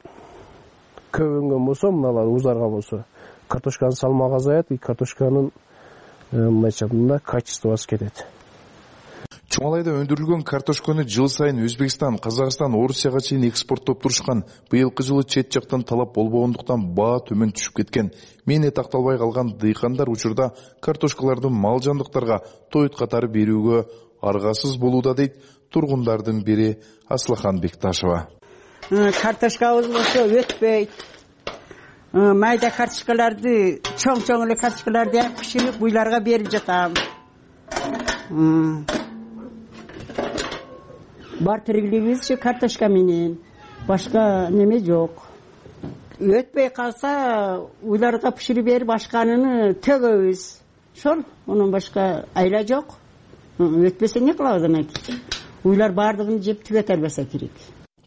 S23: көп өнгөн болсо, мыналар узарган болсо, картошканын салмагы азаят, и картошканын мындайча айтканда качествосу кетет.
S2: Чоң Алайда өндүрүлгөн картошканы жыл сайын Өзбекстан, Казакстан, Орусияга чейин экспорттоп турушкан. Быйылкы жылы чет жактан талап болбогондуктан баа төмөн түшүп кеткен. Мээнет акталбай калган дыйкандар учурда картошкаларды мал жандыктарга тоют катары берүүгө аргасыз болууда дейт тургундардын бири Аслахан Бекташева.
S24: Картошкабыз болсо өтпөйт. Майда картошкаларды, чоң-чоң эле картошкаларды пиширип буйларга берип жатам. Бар тирилигибиз картошка менен, башка неме жок. Өтпөй калса, уйларга пиширип берип башканын төгөбүз. Ошол, онун башка айла жок. Өтпөсө не кылабыз анан? Уйлар бардыгын жеп түгөтө албаса керек.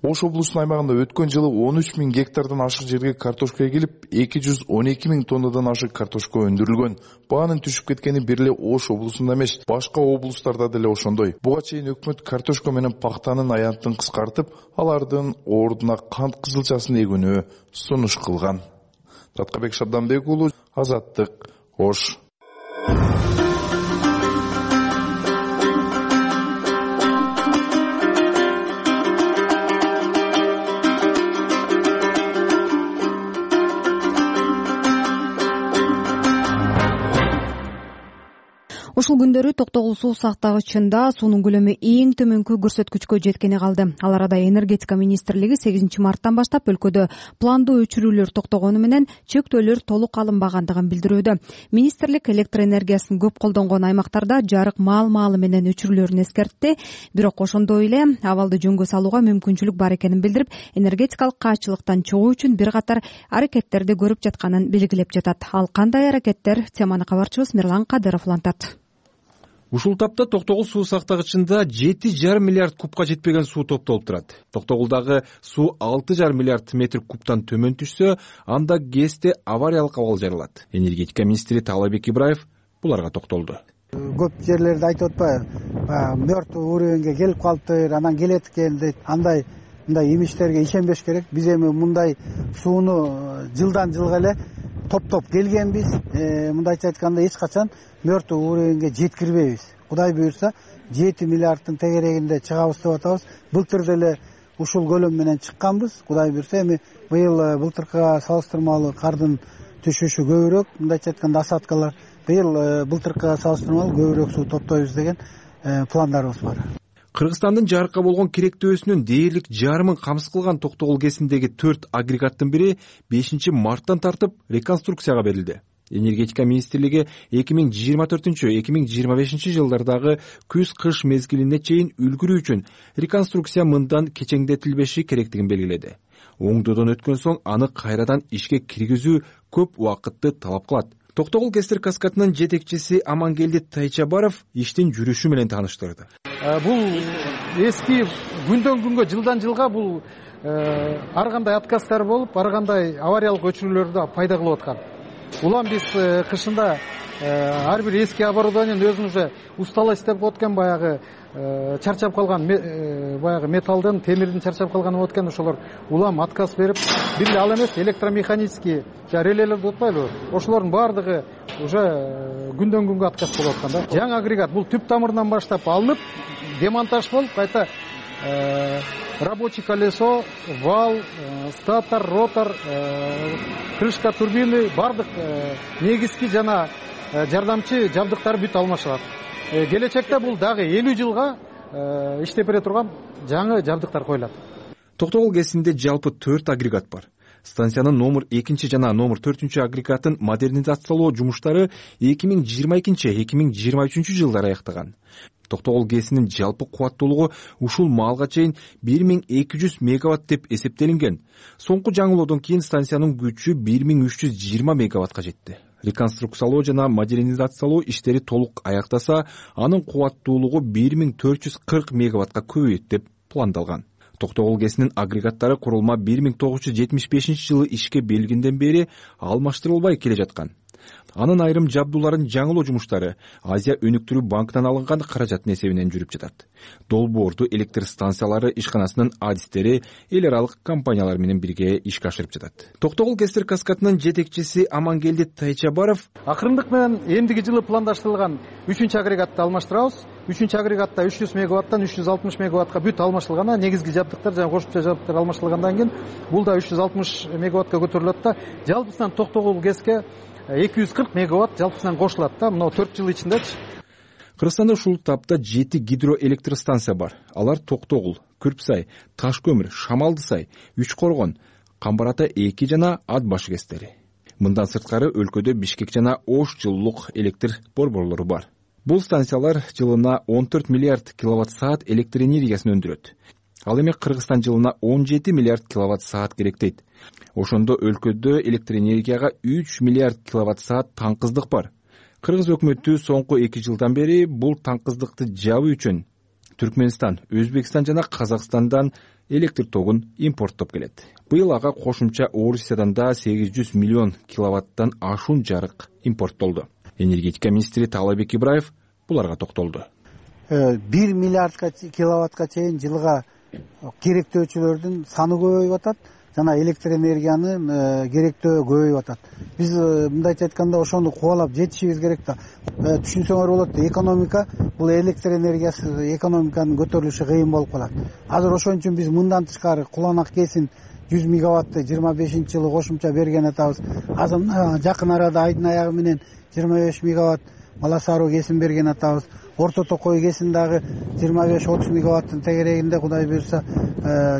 S2: Ош облусунун аймагында өткөн жылы он үч миң гектардан ашык жерге картошка эгилип, эки жүз он эки миң тоннадан ашык картошка өндүрүлгөн. Баанын түшүп кеткени бир эле Ош облусунда эмес, башка облустарда деле ошондой. Буга чейин өкмөт картошка менен пактанын аянтын кыскартып, алардын ордуна кант кызылчасын эгүүнү сунуш кылган. Раткабек Шабданбек уулу, Азаттык, Ош.
S1: Ушул күндөрү Токтогул суу сактагычында суунун көлөмү эң төмөнкү көрсөткүчкө жеткени калды. Ал арада энергетика министрлиги сегизинчи марттан баштап өлкөдө пландуу өчүрүүлөр токтогону менен чектөөлөр толук алынбагандыгын билдирүүдө. Министрлик электр энергиясын көп колдонгон аймактарда жарык маал-маалы менен өчүрүүлөрүн эскертти. Бирок ошондой эле абалды жөнгө салууга мүмкүнчүлүк бар экенин билдирип, энергетикалык каачылыктан чыгуу үчүн бир катар аракеттерди көрүп жатканын белгилеп жатат. Ал кандай аракеттер? Теманы кабарчыбыз Мирлан Кадыров улантат.
S18: Ушул тапта Токтогул суу сактагычында жети жарым миллиард кубка жетпеген суу топтолуп турат. Токтогулдагы суу алты жарым миллиард метр кубтан төмөн түшсө, анда ГЭСте авариялык абал жаралат. Энергетика министри Таалайбек Ибраев буларга токтолду.
S25: Көп жерлерде айтып атпайбы, мертвый уровеньге келип калыптыр, анан келет экен дейт. Андай мындай имичтерге ишенбеш керек. Биз эми мындай сууну жылдан жылга эле топтоп келгенбиз. Мындайча айтканда эч качан мертвый уровеньге жеткирбейбиз. Кудай буйрса жети миллиарддын тегерегинде чыгабыз деп атабыз. Былтыр деле ушул көлөм менен чыкканбыз. Кудай буйрса эми быйыл былтыркыга салыштырмалуу кардын түшүшү көбүрөөк, мындайча айтканда осадкалар. Быйыл былтыркыга салыштырмалуу көбүрөөк суу топтойбуз деген пландарыбыз бар.
S18: Кыргызстандын жарыкка болгон керектөөсүнүн дээрлик жарымын камсыз кылган Токтогул КЭСиндеги төрт агрегаттын бири бешинчи марттан тартып реконструкцияга берилди. Энергетика министрлиги эки миң жыйырма төртүнчү эки миң жыйырма бешинчи жылдардагы күз-кыш мезгилине чейин үлгүрүү үчүн реконструкция мындан кечеңдетилбеши керектигин белгиледи. Оңдоодон өткөн соң аны кайрадан ишке киргизүү көп убакытты талап кылат. Токтогул КЭСтер каскадынын жетекчиси Амангелди Тайчабаров иштин жүрүшү менен тааныштырды.
S3: Бул эски күндөн күнгө, жылдан жылга бул ар кандай отказдар болуп, ар кандай авариялык өчүрүүлөрдү пайда кылып аткан. Улам биз кышында ар бир эски оборудованиени өзүн уже устала иштеп болуп аткан, баягы чарчап калган, баягы металлдын, темирдин чарчап калганы болуп аткан, ошолор улам отказ берип, бир эле ал эмес, электромеханический релелерди утпайлыбы, ошолордун баардыгы уже күндөн күнгө отказ болуп аткан да. Жаңы агрегат бул түп тамырынан баштап алынып, демонтаж болуп, кайта рабочий колесо, вал, статор, ротор, крышка турбины, бардык негизги жана жардамчы жабдыктар бүт алмашылат. Келечекте бул дагы элүү жылга иштеп бере турган жаңы жабдыктар коюлат.
S18: Токтогул КЭСинде жалпы төрт агрегат бар. Станциянын номер экинчи жана номер төртүнчү агрегатын модернизациялоо жумуштары эки миң жыйырма экинчи эки миң жыйырма үчүнчү жылдары аяктаган. Токтогул КЭСинин жалпы кубаттуулугу ушул маалга чейин бир миң эки жүз мегаватт деп эсептелинген. Соңку жаңылоодон кийин станциянын күчү бир миң үч жүз жыйырма мегаваттка жетти. Реконструкциялоо жана модернизациялоо иштери толук аяктаса, анын кубаттуулугу бир миң төрт жүз кырк мегаваттка көбөйөт деп пландалган. Токтогул КЭСинин агрегаттары курулма бир миң тогуз жүз жетимиш бешинчи жылы ишке белгинден бери алмаштырылбай келе жаткан. Анын айрым жабдууларын жаңылоо жумуштары Азия өнүктүрүү банкынан алынган каражаттын эсебинен жүрүп жатат. Долбоорду электр станциялары ишканасынын адистери эл аралык компаниялар менен бирге ишке ашырып жатат. Токтогул КЭСтер каскадынын жетекчиси Амангелди Тайчабаров:
S3: акырындык менен эмдиги жылы пландаштырылган үчүнчү агрегатты алмаштырабыз. Үчүнчү агрегатта үч жүз мегаваттан үч жүз алтымыш мегаваттка бүт алмашылган, негизги жабдыктар жана кошумча жабдыктар алмаштырылгандан кийин бул да үч жүз алтымыш мегаваттка көтөрүлөт да, жалпысынан Токтогул КЭСке эки жүз кырк мегаватт жалпысынан кошулат да, мына төрт жыл ичиндечи.
S18: Кыргызстанда ушул тапта жети гидроэлектростанция бар. Алар Токтогул, Күрпсай, Таш көмүр, Шамалдысай, Үч Коргон, Камбар Ата эки жана Ат Башы КЭСтери. Мындан сырткары өлкөдө Бишкек жана Ош жылуулук электр борборлору бар. Бул станциялар жылына он төрт миллиард киловатт саат электр энергиясын өндүрөт. Ал эми Кыргызстан жылына он жети миллиард киловатт саат керектейт. Ошондо өлкөдө электр энергияга үч миллиард киловатт саат таңкыздык бар. Кыргыз өкмөтү соңку эки жылдан бери бул таңкыздыкты жабуу үчүн Түркмөнстан, Өзбекстан жана Казакстандан электр тогун импорттоп келет. Быйыл ага кошумча Орусиядан да сегиз жүз миллион киловаттан ашуун жарык импорттолду. Энергетика министри Таалайбек Ибраев буларга токтолду.
S25: бир миллиард киловаттка чейин жылга керектөөчүлөрдүн саны көбөйүп атат жана электр энергиянын керектөө көбөйүп атат. Биз мындайча айтканда ошону кубалап жетишибиз керек да. Түшүнсөңөр болот, экономика бул электр энергиясы экономиканын көтөрүлүшү кыйын болуп калат. Азыр ошон үчүн биз мындан тышкары Куланак КЭСин жүз мегаватты жыйырма бешинчи жылы кошумча берген атабыз. Азыр жакын арада айдын аягы менен жыйырма беш мегаватт Бала Сароо КЭСин берген атабыз. Орто Токой КЭСин дагы жыйырма беш отуз мегаваттын тегерегинде Кудай буюрса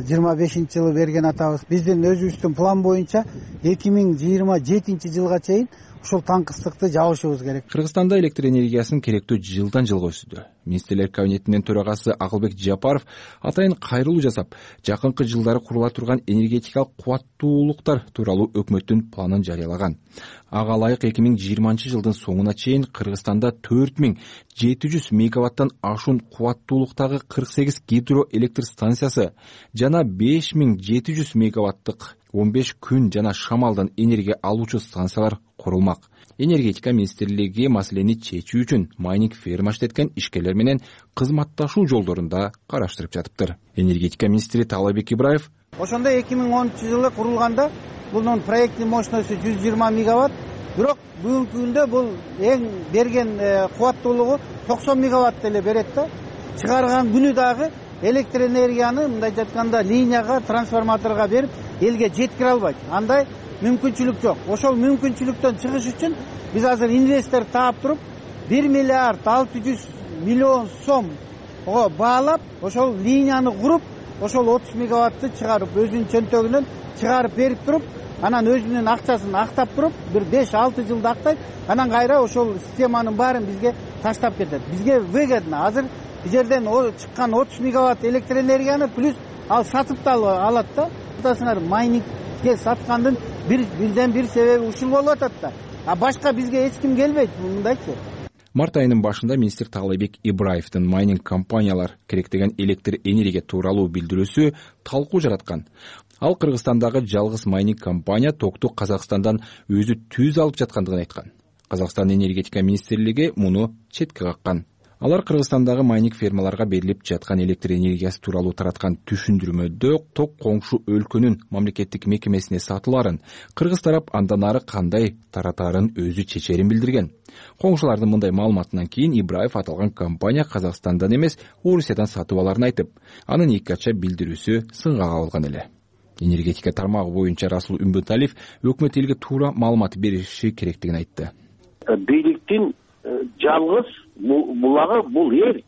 S25: жыйырма бешинчи жылы берген атабыз. Биздин өзүбүздүн план боюнча эки миң жыйырма жетинчи жылга чейин ушул таңкыстыкты жабышыбыз керек.
S18: Кыргызстанда электр энергиясынын керектөө жылдан жылга өсүүдө. Министрлер кабинетинин төрагасы Акылбек Жапаров атайын кайрылуу жасап, жакынкы жылдары курула турган энергетикалык кубаттуулуктар тууралуу өкмөттүн планын жарыялаган. Ага ылайык эки миң жыйырманчы жылдын соңуна чейин Кыргызстанда төрт миң жети жүз мегаваттан ашуун кубаттуулуктагы кырк сегиз гидроэлектр станциясы жана беш миң жети жүз мегаваттык он беш күн жана шамалдан энергия алуучу станциялар курулмак. Энергетика министрлиги маселени чечүү үчүн майнинг ферма иштеткен ишкерлер менен кызматташуу жолдорун да караштырып жатыптыр. Энергетика министри Таалайбек Ибраев:
S25: ошондо эки миң онунчу жылы курулганда бунун проекттин мощносту жүз жыйырма мегаватт, бирок бүгүнкү күндө бул эң берген кубаттуулугу токсон мегаватт эле берет да. Чыгарган күнү дагы электр энергияны мындайча айтканда линияга, трансформаторго берип элге жеткире албайт. Андай мүмкүнчүлүк жок. Ошол мүмкүнчүлүктөн чыгыш үчүн биз азыр инвестор таап туруп бир миллиард алты жүз миллион сом ого баалап ошол линияны куруп ошол отуз мегаватты чыгарып өзүнүн чөнтөгүнөн чыгарып берип туруп анан өзүнүн акчасын актап туруп бир беш алты жылда актайт, анан кайра ошол системанын баарын бизге таштап кетет. Бизге выгодно. Азыр бул жерден чыккан отуз мегаватт электр энергияны плюс ал сатып да алат да. Атасыңар майнингге саткандын бир бирден бир себеби ушул болуп атат да. А башка бизге эч ким келбейт мындайчы.
S7: Март айынын башында министр Таалайбек Ибраевдин майнинг компаниялар керектеген электр энергия тууралуу билдирүүсү талкуу жараткан. Ал Кыргызстандагы жалгыз майнинг компания токту Казакстандан өзү түз алып жаткандыгын айткан. Казакстан энергетика министрлиги муну четке каккан. Алар Кыргызстандагы майнинг фермаларга берилип жаткан электр энергиясы тууралуу тараткан түшүндүрмөдө ток коңшу өлкөнүн мамлекеттик мекемесине сатыларын, кыргыз тарап андан ары кандай таратаарын өзү чечерин билдирген. Коңшулардын мындай маалыматынан кийин Ибраев аталган компания Казакстандан эмес, Орусиядан сатып аларын айтып, анын эки ача билдирүүсү сынга кабылган эле. Энергетика тармагы боюнча Расул Үмбөталиев өкмөт элге туура маалымат бериши керектигин айтты.
S9: Бийликтин жалгыз булагы бул эл.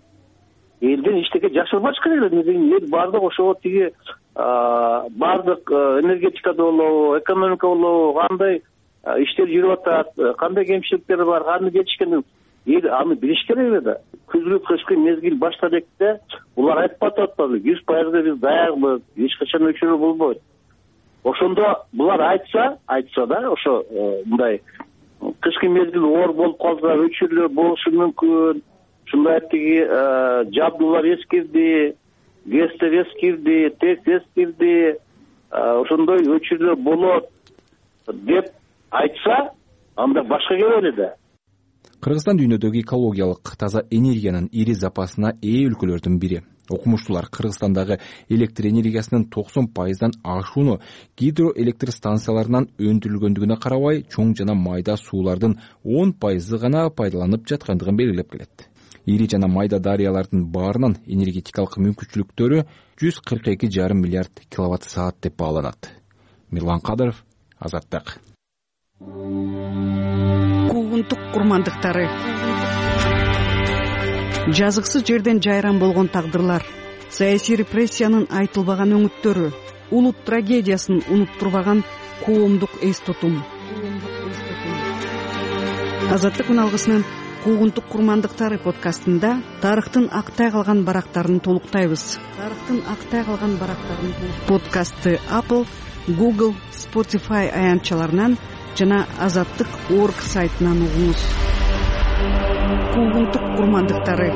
S9: Элден эчтеке жашырбаш керек эле. Эл бардык ошого тиги бардык энергетикада болобу, экономика болобу, кандай иштер жүрүп атат, кандай кемчиликтер бар, кандай жетишкен эл аны билиш керек эле да. Күзгү кышкы мезгил баштап экте булар айтып атат, жүз пайызга биз даярбыз, эч качан өчүрүү болбойт. Ошондо булар айтса, айтса да, ошо мындай кышкы мезгил оор болуп калса өчүрүүлөр болушу мүмкүн. Ушундай тиги жабдуулар эскирди, гэстер эскирди, тез эскирди, ошондой өчүрүүлөр болот деп айтса, анда башка келели да.
S7: Кыргызстан дүйнөдөгү экологиялык таза энергиянын ири запасына ээ өлкөлөрдүн бири. Окумуштуулар Кыргызстандагы электр энергиясынын токсон пайыздан ашууну гидроэлектр станцияларынан өндүрүлгөндүгүнө карабай, чоң жана майда суулардын он пайызы гана пайдаланып жаткандыгын белгилеп келет. Ири жана майда дарыялардын баарынан энергетикалык мүмкүнчүлүктөрү жүз кырк эки жарым миллиард киловатт саат деп бааланат. Мирлан Кадыров, Азаттык.
S11: Куугунтук курмандыктары. Жазыксыз жерден жайран болгон тагдырлар, саясий репрессиянын айтылбаган өңүттөрү, улут трагедиясын унуттурбаган коомдук эс тутум. Азаттык үналгысынын Куугунтук курмандыктары подкастында тарыхтын актай калган барактарын толуктайбыз. Тарыхтын актай калган барактарын подкастты Apple, Google, Spotify аянтчаларынан жана азаттык точка орг сайтынан угуңуз. Куугунтук курмандыктары.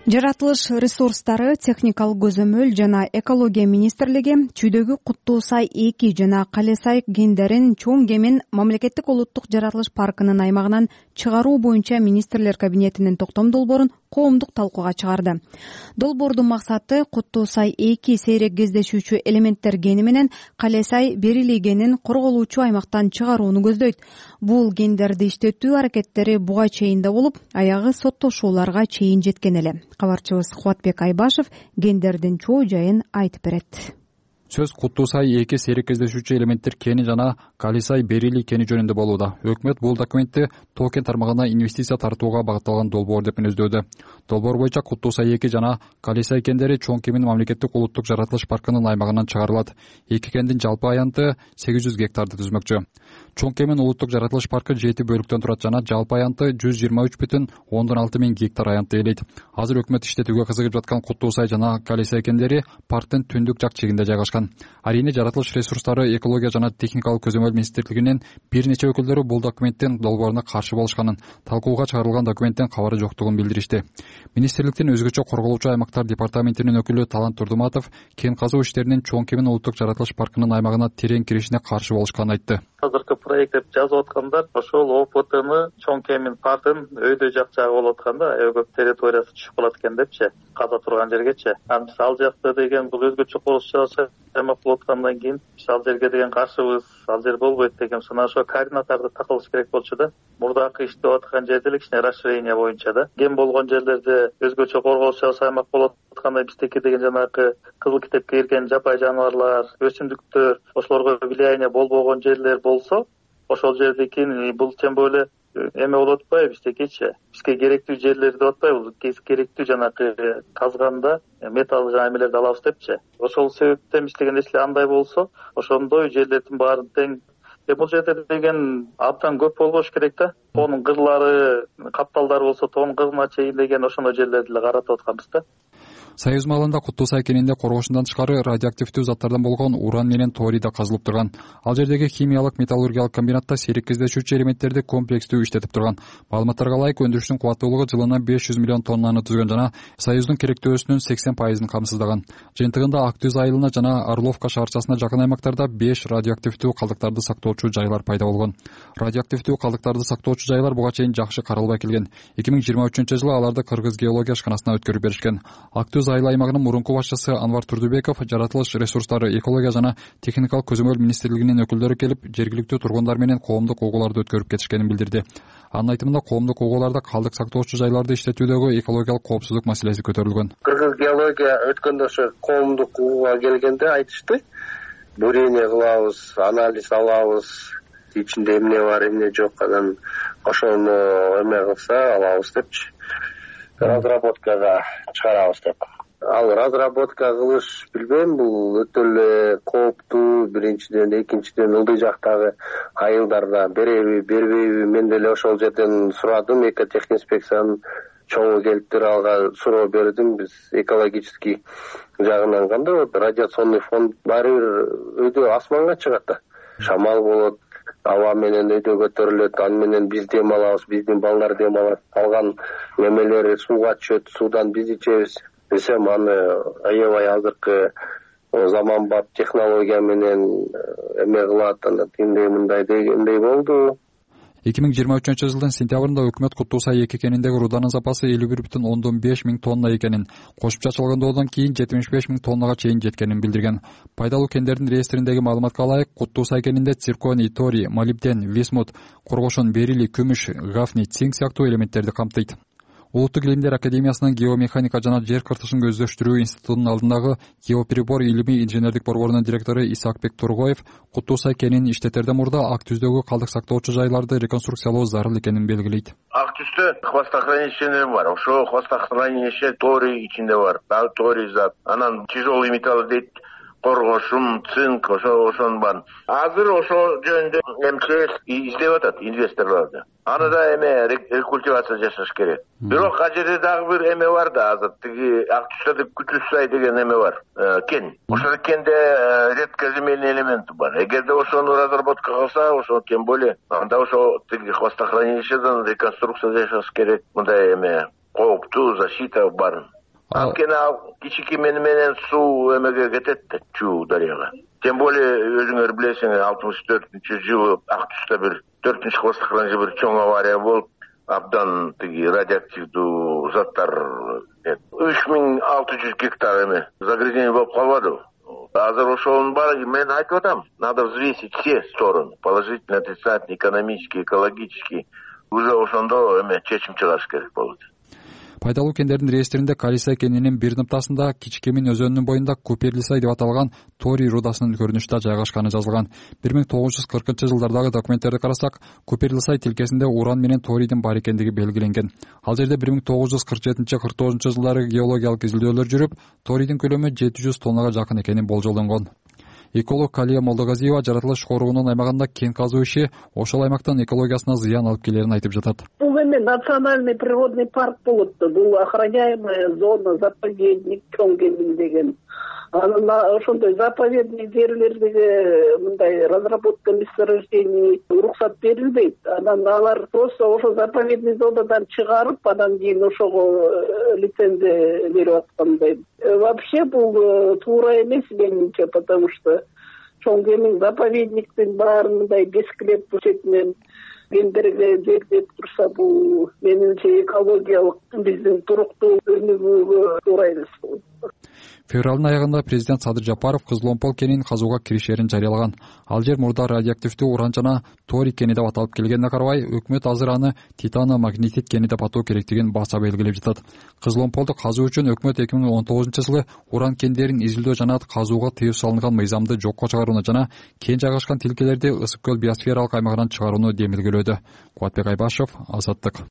S1: Жаратылыш ресурстары, техникалык көзөмөл жана экология министрлиги Чүйдөгү Куттуу Сай эки жана Кале Сай кендерин чоң кемин мамлекеттик улуттук жаратылыш паркынын аймагынан чыгаруу боюнча министрлер кабинетинин токтом долбоорун коомдук талкууга чыгарды. Долбоордун максаты Куттуу Сай эки сейрек кездешүүчү элементтер гени менен Кале Сай берилий генин корголуучу аймактан чыгарууну көздөйт. Бул гендерди иштетүү аракеттери буга чейин да болуп, аягы соттошууларга чейин жеткен эле. Кабарчыбыз Кубатбек Айбашев гендердин чоо жайын айтып берет.
S12: Сөз Куттуу Сай эки сейрек кездешүүчү элементтер кени жана Кале Сай берилий кени жөнүндө болууда. Өкмөт бул документти тоо кен тармагына инвестиция тартууга багытталган долбоор деп мүнөздөдү. Долбоор боюнча Куттуу Сай эки жана Кале Сай кендери чоң кемин мамлекеттик улуттук жаратылыш паркынын аймагынан чыгарылат. Эки кендин жалпы аянты сегиз жүз гектарды түзмөкчү. Чоң кемин улуттук жаратылыш паркы жети бөлүктөн турат жана жалпы аянты жүз жыйырма үч бүтүн ондон алты миң гектар аянтты ээлейт. Азыр өкмөт иштетүүгө кызыгып жаткан Куттуу Сай жана Кале Сай кендери парктын түндүк жак чегинде жайгашкан. Арийне жаратылыш ресурстары, экология жана техникалык көзөмөл министрлигинин бир нече өкүлдөрү бул документтин долбооруна каршы болушканын, талкууга чыгарылган документтен кабары жоктугун билдиришти. Министрликтин өзгөчө корголуучу аймактар департаментинин өкүлү Талант Турдуматов кен казуу иштеринин чоң кемин улуттук жаратылыш паркынын аймагына терең киришине каршы болушканын айтты.
S13: Азыркы проект деп жазып аткандар ошол О П Тны чоң кемин паркын өйдө жак жагы болуп атканда аябай территориясы түшүп калат экен депчи, каза турган жергечи. Анан биз ал жакта деген бул өзгөчө курулуш жасап аймак болуп аткандан кийин ал жерге деген каршыбыз, ал жер болбойт деген сана ошо координатарды такылыш керек болчу да. Мурдакы иштеп аткан жерде эле кичине расширение боюнча да. Кен болгон жерлерде өзгөчө корголуш жасап аймак болуп атканда биздики деген жанагы кызыл китепке кирген жапай жаныбарлар, өсүмдүктөр, ошолорго влияние болбогон жерлер болсо, ошол жердикин бул тем более эме болуп атпайбы биздекичи, бизге керектүү жерлерди деп атпайбы, керектүү жанакы казганда металл жана эмелерди алабыз депчи. Ошол себептен иштеген нерселер андай болсо, ошондой жерлердин баарын тең. Бул жерде деген абдан көп болбош керек да. Тоонун кырлары, капталдары болсо тоонун кырына чейин деген ошондой жерлерди эле каратып атканбыз да.
S12: Союз малында Куттуу Сай кенинде коргошундан тышкары радиоактивдүү заттардан болгон уран менен торий да казылып турган. Ал жердеги химиялык металлургиялык комбинатта сейрек кездешүүчү элементтерди комплекстүү иштетип турган. Маалыматтарга ылайык өндүрүштүн кубаттуулугу жылына беш жүз миллион тоннаны түзгөн жана Союздун керектөөсүнүн сексен пайызын камсыздаган. Жыйынтыгында Ак Түз айылына жана Орловка шаарчасына жакын аймактарда беш радиоактивдүү калдыктарды сактоочу жайлар пайда болгон. Радиоактивдүү калдыктарды сактоочу жайлар буга чейин жакшы каралбай келген. эки миң жыйырма үчүнчү жылы аларды Кыргыз геология ишканасына өткөрүп беришкен. Ак Түз айыл аймагынын мурунку башчысы Анвар Турдубеков жаратылыш ресурстары, экология жана техникалык көзөмөл министрлигинин өкүлдөрү келип, жергиликтүү тургундар менен коомдук угууларды өткөрүп кетишкенин билдирди. Анын айтымында коомдук угууларда калдык сактоочу жайларды иштетүүдөгү экологиялык коопсуздук маселеси көтөрүлгөн.
S4: Кыргыз геология өткөндө ошо коомдук угууга келгенде айтышты, бурение кылабыз, анализ алабыз, ичинде эмне бар, эмне жок, анан ошону эме кылса алабыз депчи. Разработкага чыгарабыз деп. Ал разработка кылыш билбейм, бул өтө эле кооптуу. Биринчиден, экинчиден ылдый жактагы айылдарда береби, бербейби, мен деле ошол жерден сурадым. Экотехинспекциянын чоңу келиптир, алга суроо бердим. Биз экологический жагынан кандай болот? Радиационный фон баары бир өйдө асманга чыгат да. Шамал болот, аба менен өйдө көтөрүлөт, аны менен биз дем алабыз, биздин балдар дем алат. Калган немелер сууга түшөт, суудан биз ичебиз. Десем аны аябай азыркы заманбап технология менен эме кылат, анан тиндей мындай дегендей болду.
S12: эки миң жыйырма үчүнчү жылдын сентябрында өкмөт Куттуу Сай эки кениндеги руданын запасы элүү бир бүтүн ондон беш миң тонна экенин, кошумча чалгындоодон кийин жетимиш беш миң тоннага чейин жеткенин билдирген. Пайдалуу кендердин реестриндеги маалыматка ылайык, Куттуу Сай кенинде цирконий, торий, молибден, висмут, коргошон, берилий, күмүш, гафний, цинк сыяктуу элементтерди камтыйт. Улуттук илимдер академиясынын геомеханика жана жер кыртышын көздөштүрүү институтунун алдындагы геоприбор илимий инженердик борборунун директору Исакбек Тургоев Куттуу Сай кенин иштетерден мурда Ак Түздөгү калдык сактоочу жайларды реконструкциялоо зарыл экенин белгилейт.
S10: Ак Түздө хвостохранилище бар, ошо хвостохранилище торий ичинде бар, дагы торий зат, анан тяжелый металл дейт, коргошум, цинк, ошо ошонун бар. Азыр ошо жөнүндө МЧС издеп атат инвесторлорду. Аны да эме рекультивация жасаш керек. Бирок ал жерде дагы бир эме бар да, азыр тиги Ак Түздө Күтүз Сай деген эме бар, кен. Ошол кенде редкоземельный элемент бар. Эгерде ошону разработка кылса, ошо тем более анда ошо тиги хвостохранилищеден реконструкция жасаш керек. Мындай эме кооптуу защита бар. Анткени ал кичики менен суу эмеге кетет да, Чуу дарыяга. Тем более өзүңөр билесиңер, алтымыш төртүнчү жылы Ак Түздө бир төртүнчү хвостохранилище бир чоң авария болуп, абдан тиги радиоактивдүү заттар үч миң алты жүз гектар эме загрязнение болуп калбадыбы? Азыр ошонун баары мен айтып атам, надо взвесить все стороны, положительный, отрицательный, экономический, экологический. Уже ошондо эме чечим чыгарыш керек болот.
S12: Пайдалуу кендердин реестринде Калисай кенинин бир ныктасында Кичикемин өзөнүнүн боюнда Куперлисай деп аталган торий рудасынын көрүнүштө жайгашканы жазылган. бир миң тогуз жүз кыркынчы жылдардагы документтерди карасак, Куперлисай тилкесинде уран менен торийдин бар экендиги белгиленген. Ал жерде бир миң тогуз жүз кырк жетинчи кырк тогузунчу жылдары геологиялык изилдөөлөр жүрүп, торийдин көлөмү жети жүз тоннага жакын экени болжолдонгон. Эколог Калия Молдогазиева жаратылыш коргоонун аймагында кен казуу иши ошол аймактын экологиясына зыян алып келерин айтып жатат.
S14: Бул эме национальный природный парк болот да, бул охраняемая зона, заповедник чоң кемин деген. Анан ошондой заповедный жерлердеги мындай разработка месторождений уруксат берилбейт. Анан алар просто ошо заповедный зонадан чыгарып, анан кийин ошого лицензия берип аткандай. Вообще бул туура эмес менимче, потому что чоң кемин заповедниктин баарын мындай бескилеп четинен кендерге жегдеп турса, бул менимче экологиялык биздин туруктуу өнүгүүгө туура эмес болот.
S12: Февралдын аягында президент Садыр Жапаров Кызыл Омпол кенин казууга киришерин жарыялаган. Ал жер мурда радиоактивдүү уран жана торий кени деп аталып келгенине карабай, өкмөт азыр аны титано-магнетит кени деп атоо керектигин баса белгилеп жатат. Кызыл Омполду казуу үчүн өкмөт эки миң он тогузунчу жылы уран кендерин изилдөө жана казууга тыюу салынган мыйзамды жокко чыгарууну жана кен жайгашкан тилкелерди Ысык көл биосфералык аймагынан чыгарууну демилгелөөдө. Кубатбек Айбашев, Азаттык.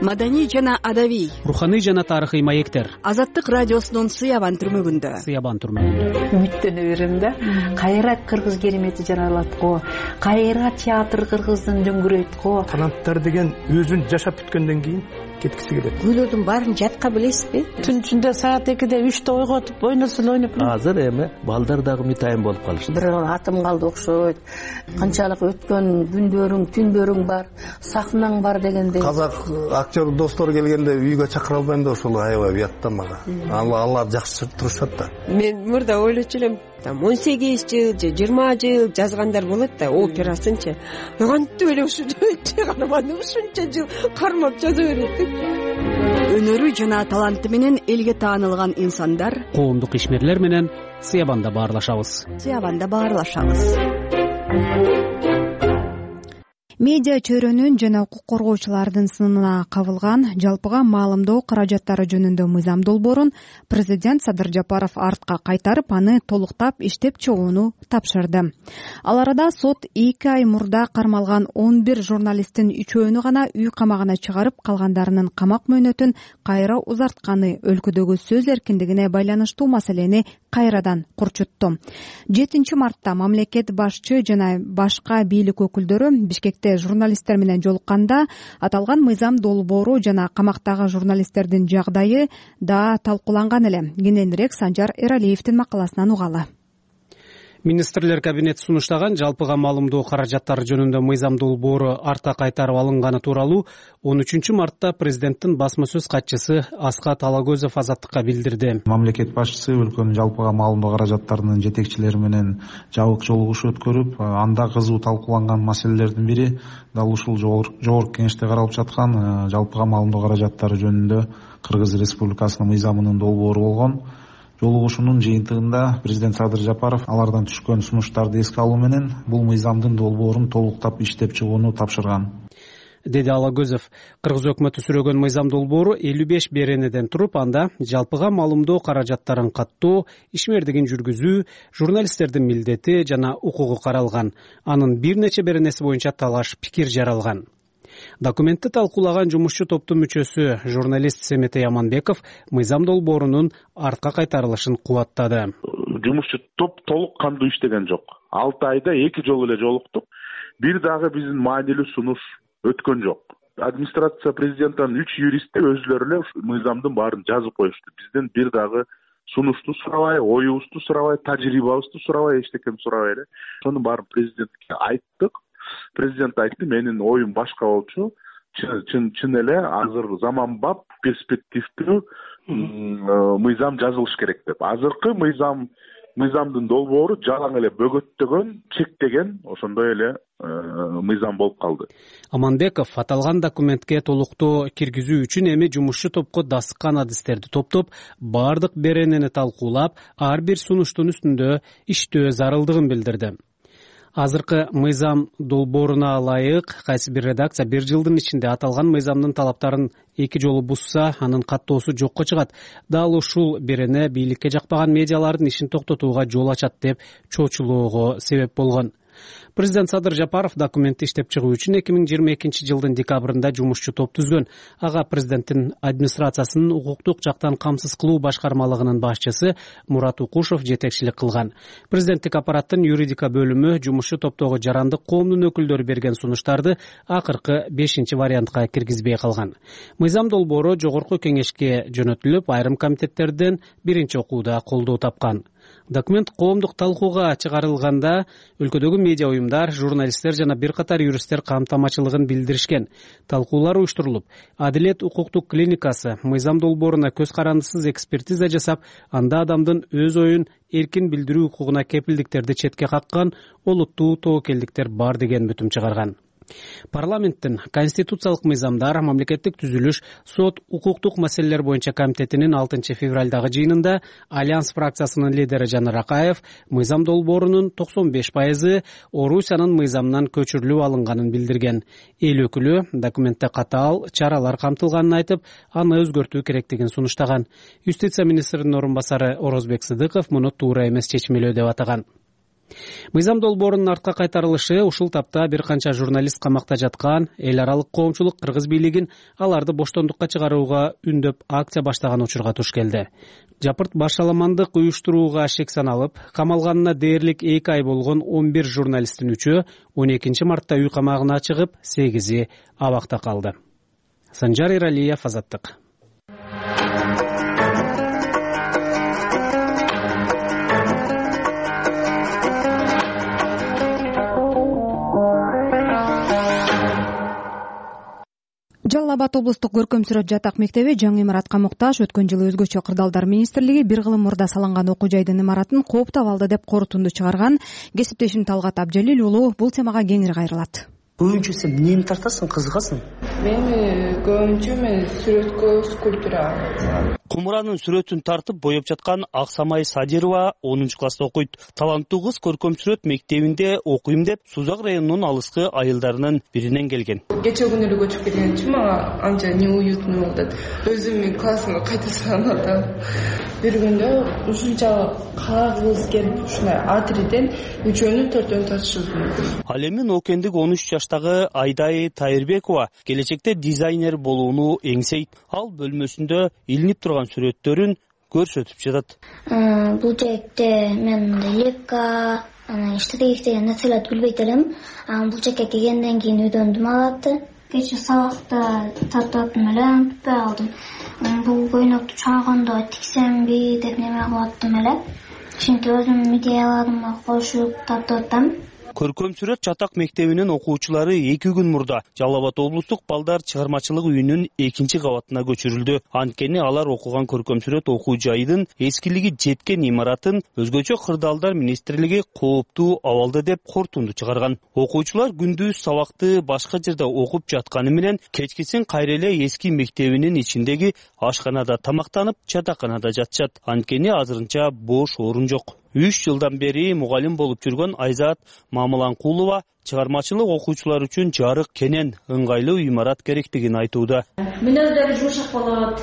S11: Маданий жана адабий,
S5: руханий жана тарыхый маектер.
S11: Азаттык радиосунун Сыябан түрмөгүндө.
S5: Сыябан түрмөгүндө.
S15: Үмүттөнө берем да. Кайра кыргыз керемети жаралат го. Кайра театр кыргыздын дөңгүрөйт го.
S16: Канаттар деген өзүн жашап бүткөндөн кийин кеткиси келет.
S15: Күйлөрдүн баарын жатка билесизби?
S17: Түн ичинде саат экиде үчтө ойготуп ойносун ойноп.
S16: Азыр эми балдар дагы мытайын болуп калышты.
S15: Бир атым калды окшойт. Канчалык өткөн күндөрүң, түндөрүң бар, сахнаң бар дегендей.
S16: Казак актер достор келгенде үйгө чакыра албайм да ошол аябай уятта мага. Алар жакшы турушат да.
S19: Мен мурда ойлочу элем, там он сегиз жыл же жыйырма жыл жазгандар болот да, операсынчы. Кантип эле ушу чыгарманы ушунча жыл кармап жаза берет деп.
S11: Өнөрү жана таланты менен элге таанылган инсандар,
S5: коомдук ишмерлер менен Сыябанда баарлашабыз.
S11: Сыябанда баарлашабыз.
S1: Медиа чөйрөнүн жана укук коргоочулардын сынына кабылган жалпыга маалымдоо каражаттары жөнүндө мыйзам долбоорун президент Садыр Жапаров артка кайтарып, аны толуктап иштеп чыгууну тапшырды. Ал арада сот эки ай мурда кармалган он бир журналисттин үчөөнү гана үй камагына чыгарып, калгандарынын камак мөөнөтүн кайра узартканы өлкөдөгү сөз эркиндигине байланыштуу маселени кайрадан курчутту. жетинчи мартта мамлекет башчы жана башка бийлик өкүлдөрү Бишкекте журналисттер менен жолукканда аталган мыйзам долбоору жана камактагы журналисттердин жагдайы да талкууланган эле. Кененирээк Санжар Эралиевдин макаласынан угалы.
S5: Министрлер кабинети сунуштаган жалпыга маалымдоо каражаттары жөнүндө мыйзам долбоору артка кайтарып алынганы тууралуу он үчүнчү мартта президенттин басма сөз катчысы Аскат Алагөзов Азаттыкка билдирди.
S26: Мамлекет башчысы өлкөнүн жалпыга маалымдоо каражаттарынын жетекчилери менен жабык жолугуш өткөрүп, анда кызуу талкууланган маселелердин бири дал ушул жогорку кеңеште каралып жаткан жалпыга маалымдоо каражаттары жөнүндө Кыргыз Республикасынын мыйзамынын долбоору болгон. Жолугушуунун жыйынтыгында президент Садыр Жапаров алардан түшкөн сунуштарды эске алуу менен бул мыйзамдын долбоорун толуктап иштеп чыгууну тапшырган,
S5: деди Алагөзов. Кыргыз өкмөтү сүрөгөн мыйзам долбоору элүү беш беренеден туруп, анда жалпыга маалымдоо каражаттарын каттоо, ишмердигин жүргүзүү, журналисттердин милдети жана укугу каралган. Анын бир нече беренеси боюнча талаш пикир жаралган. Документти талкуулаган жумушчу топтун мүчөсү журналист Семетей Аманбеков мыйзам долбоорунун артка кайтарылышын кубаттады.
S27: Жумушчу топ толук кандуу иштеген жок. алты айда эки жолу эле жолуктук. Бир дагы биздин маанилүү сунуш өткөн жок. Администрация президенттин үч юристи өзүлөрү эле мыйзамдын баарын жазып коюшту. Бизден бир дагы сунушту сурабай, оюбузду сурабай, тажрыйбабызды сурабай, эчтекени сурабай эле. Сонун баарын президентке айттык. Президент айтты, менин оюм башка болчу. Чын чын эле азыр заманбап, перспективдүү мыйзам жазылыш керек деп. Азыркы мыйзам мыйзамдын долбоору жалаң эле бөгөттөгөн, чектеген, ошондой эле мыйзам болуп калды.
S5: Аманбеков аталган документке толуктоо киргизүү үчүн эми жумушчу топко дасыккан адистерди топтоп, бардык беренени талкуулап, ар бир сунуштун үстүндө иштөө зарылдыгын билдирди. Азыркы мыйзам долбооруна ылайык кайсы бир редакция бир жылдын ичинде аталган мыйзамдын талаптарын эки жолу бузса, анын каттоосу жокко чыгат. Дал ушул берене бийликке жакпаган медиалардын ишин токтотууга жол ачат деп чоочулоого себеп болгон. Президент Садыр Жапаров документти иштеп чыгуу үчүн эки миң жыйырма экинчи жылдын декабрында жумушчу топ түзгөн. Ага президенттин администрациясынын укуктук жактан камсыз кылуу башкармалыгынын башчысы Мурат Укушев жетекчилик кылган. Президенттик аппараттын юридика бөлүмү жумушчу топтогу жарандык коомдун өкүлдөрү берген сунуштарды акыркы бешинчи вариантка киргизбей калган. Мыйзам долбоору жогорку кеңешке жөнөтүлүп, айрым комитеттерден биринчи окууда колдоо тапкан. Документ коомдук талкууга чыгарылганда өлкөдөгү медиа уюмдар, журналисттер жана бир катар юристтер камтамачылыгын билдиришкен. Талкуулар уюштурулуп, Адилет укуктук клиникасы мыйзам долбооруна көз карандысыз экспертиза жасап, анда адамдын өз оюн эркин билдирүү укугуна кепилдиктерди четке каккан олуттуу тобокелдиктер бар деген бүтүм чыгарган. Парламенттин конституциялык мыйзамдар, мамлекеттик түзүлүш, сот, укуктук маселелер боюнча комитетинин алтынчы февралдагы жыйынында Альянс фракциясынын лидери Жанар Акаев мыйзам долбоорунун токсон беш пайызы Орусиянын мыйзамынан көчүрүлүп алынганын билдирген. Эл өкүлү документте катаал чаралар камтылганын айтып, аны өзгөртүү керектигин сунуштаган. Юстиция министринин орун басары Орозбек Сыдыков муну туура эмес чечмелөө деп атаган. Мыйзам долбоорунун артка кайтарылышы ушул тапта бир канча журналист камакта жаткан, эл аралык коомчулук кыргыз бийлигин аларды боштондукка чыгарууга үндөп акция баштаган учурга туш келди. Жапырт башаламандык уюштурууга шек саналып, камалганына дээрлик эки ай болгон он бир журналисттин үчөө он экинчи мартта үй камагына чыгып, сегизи абакта калды. Санжар Иралиев, Азаттык.
S1: Жалал Абад облустук көркөм сүрөт жатак мектеби жаңы имаратка муктаж. Өткөн жылы өзгөчө кырдаалдар министрлиги бир кылым мурда салынган окуу жайдын имаратын кооптоп алды деп корутунду чыгарган. Кесиптешим Талгат Абжалил уулу бул темага кеңири кайрылат.
S6: Көбүнчө сен эмнени тартасың, кызыгасың?
S8: Мен көбүнчө мен сүрөткө, скульптурага.
S20: Кумуранын сүрөтүн тартып боеп жаткан Аксамай Садирова онунчу класста окуйт. Таланттуу кыз көркөм сүрөт мектебинде окуйм деп Сузак районунун алыскы айылдарынын биринен келген.
S8: Кече күнү эле көчүп келген үчүн мага анча неуютный болду. Өзүм мен классымга кайта салганда бир күндө ушунча кагыз келип ушундай атриден үчөөнү төртөөнү тартышыбыз.
S20: Ал эми Ноокендик он үч жаштагы Айдай Тайырбекова келечекте дизайнер болууну эңсейт. Ал бөлмөсүндө илинип турган сүрөттөрүн көрсөтүп жатат.
S21: Бул жакта мен мындай лепка, анан штатив деген нерселерди билбейт элем. Бул жакка келгенден кийин үйдөндүм алатты. Кече сабакта тартып эле бүтпөй алдым. Бул көйнөктү чагында тиксемби деп неме кылып аттым эле. Чүнкү өзүм идеяларыма кошуп тартып аттым.
S20: Көркөм сүрөт жатак мектебинин окуучулары эки күн мурда Жалал Абад облустук балдар чыгармачылык үйүнүн экинчи кабатына көчүрүлдү. Анткени алар окуган көркөм сүрөт окуу жайдын эскилиги жеткен имаратын өзгөчө кырдаалдар министрлиги кооптуу абалда деп корутунду чыгарган. Окуучулар күндүз сабакты башка жерде окуп жатканы менен кечкисин кайра эле эски мектебинин ичиндеги ашканада тамактанып, жатаканада жатышат. Анткени азырынча бош орун жок. үч жылдан бери мугалим болуп жүргөн Айзат Мамыланкулова чыгармачылык окуучулар үчүн жарык, кенен, ыңгайлуу имарат керектигин айтууда.
S22: Мүнөздөрү жумшак болот,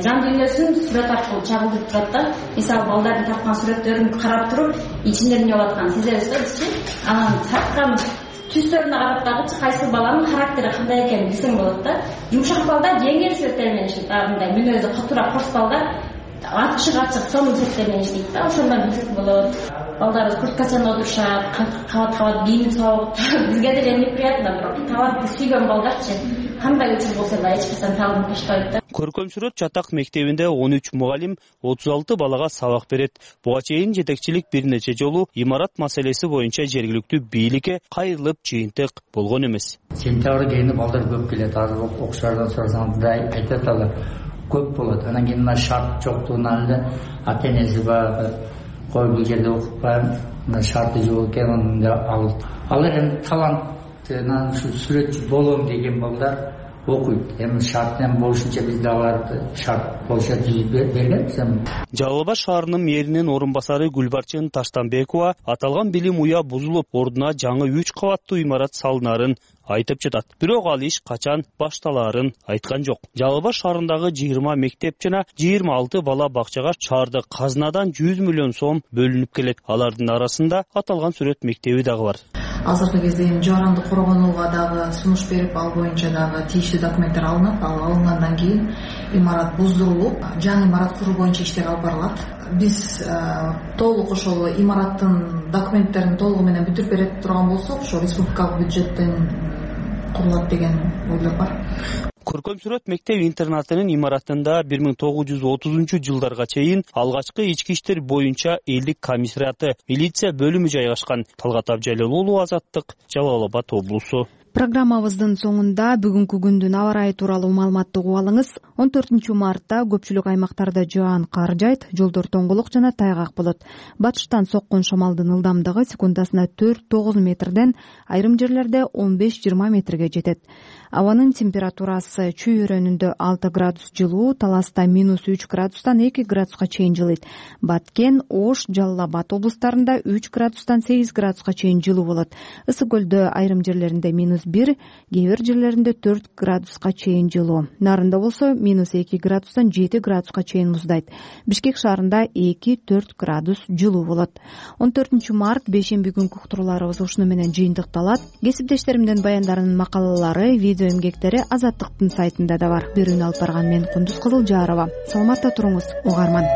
S22: жан дүйнөсүн сүрөт аркылуу чагылдырып турат да. Мисалы балдардын тарткан сүрөттөрүн карап туруп, ичинде эмне болуп атканын сезебиз да бизчи. Анан тарткан түстөрүнө карап дагы кайсы баланын характери кандай экенин билсең болот да. Жумшак балдар жеңил сүрөттөр менен иштейт, мындай мүнөзү катуураак курс балдар ачык ачык сонун сүрөттөр менен иштейт да. Ошондон билсек болот. Балдар курткасында отурушат, кабат кабат кийинип салып, бизге деле неприятно, бирок талантты сүйгөн балдарчы кандай учур болсо да эч качан талант таштабайт да.
S20: Көркөм сүрөт жатак мектебинде он үч мугалим отуз алты балага сабак берет. Буга чейин жетекчилик бир нече жолу имарат маселеси боюнча жергиликтүү бийликке кайрылып жыйынтык болгон эмес.
S23: Сентябрь айында балдар көп келет, азыр окуучулардан сурасаң да айтат алар көп болот. Анан кийин мына шарт жоктугунан эле ата энеси баягы кой бул жерде окутпайм, мына шарты жок экен, деп алып. Алар эми талантынан ушу сүрөтчү болом деген балдар окуйт. Эми шартынан болушунча биз да аларды шарт болуша түзүп бергенбиз.
S20: Жалал Абад шаарынын мэринин орун басары Гүлбарчын Таштанбекова аталган билим уя бузулуп, ордуна жаңы үч кабаттуу имарат салынарын айтып жатат. Бирок ал иш качан башталаарын айткан жок. Жалал Абад шаарындагы жыйырма мектеп жана жыйырма алты бала бакчага шаардык казынадан жүз миллион сом бөлүнүп келет. Алардын арасында аталган сүрөт мектеби дагы бар.
S24: Азыркы кезде эми жаранды коргонууга дагы сунуш берип, ал боюнча дагы тийиштүү документтер алынат. Ал алынгандан кийин имарат буздурулуп, жаңы имарат куруу боюнча иштер алып барылат. Биз толук ошол имараттын документтерин толугу менен бүтүрүп бере турган болсок, ошо республикалык бюджеттен курулат деген ойлор бар.
S20: Көркөм сүрөт мектеп-интернатынын имаратында бир миң тогуз жүз отузунчу жылдарга чейин алгачкы ички иштер боюнча элдик комиссариаты, милиция бөлүмү жайгашкан. Талгат Абжалил уулу, Азаттык, Жалал Абад облусу.
S1: Программабыздын соңунда бүгүнкү күндүн аба ырайы тууралуу маалыматты угуп алыңыз. он төртүнчү мартта көпчүлүк аймактарда жаан кар жайт, жолдор тоңголук жана тайгак болот. Батыштан соккон шамалдын ылдамдыгы секундасына төрт тогуз метрден, айрым жерлерде он беш жыйырма метрге жетет. Абанын температурасы Чүй өрөөнүндө алты градус жылуу, Таласта минус үч градустан эки градуска чейин жылыйт. Баткен, Ош, Жалал Абад облустарында үч градустан сегиз градуска чейин жылуу болот. Ысык көлдө айрым жерлеринде минус бир, кээ бир жерлеринде төрт градуска чейин жылуу. Нарында болсо минус эки градустан жети градуска чейин муздайт. Бишкек шаарында эки төрт градус жылуу болот. он төртүнчү март бейшемби күнкү уктурууларыбыз ушуну менен жыйынтыкталат. Кесиптештеримдин баяндарынын макалалары, видео эмгектери Азаттыктын сайтында да бар. Берүүнү алып барган мен Кундуз Кызылжарова. Саламатта туруңуз, угарман.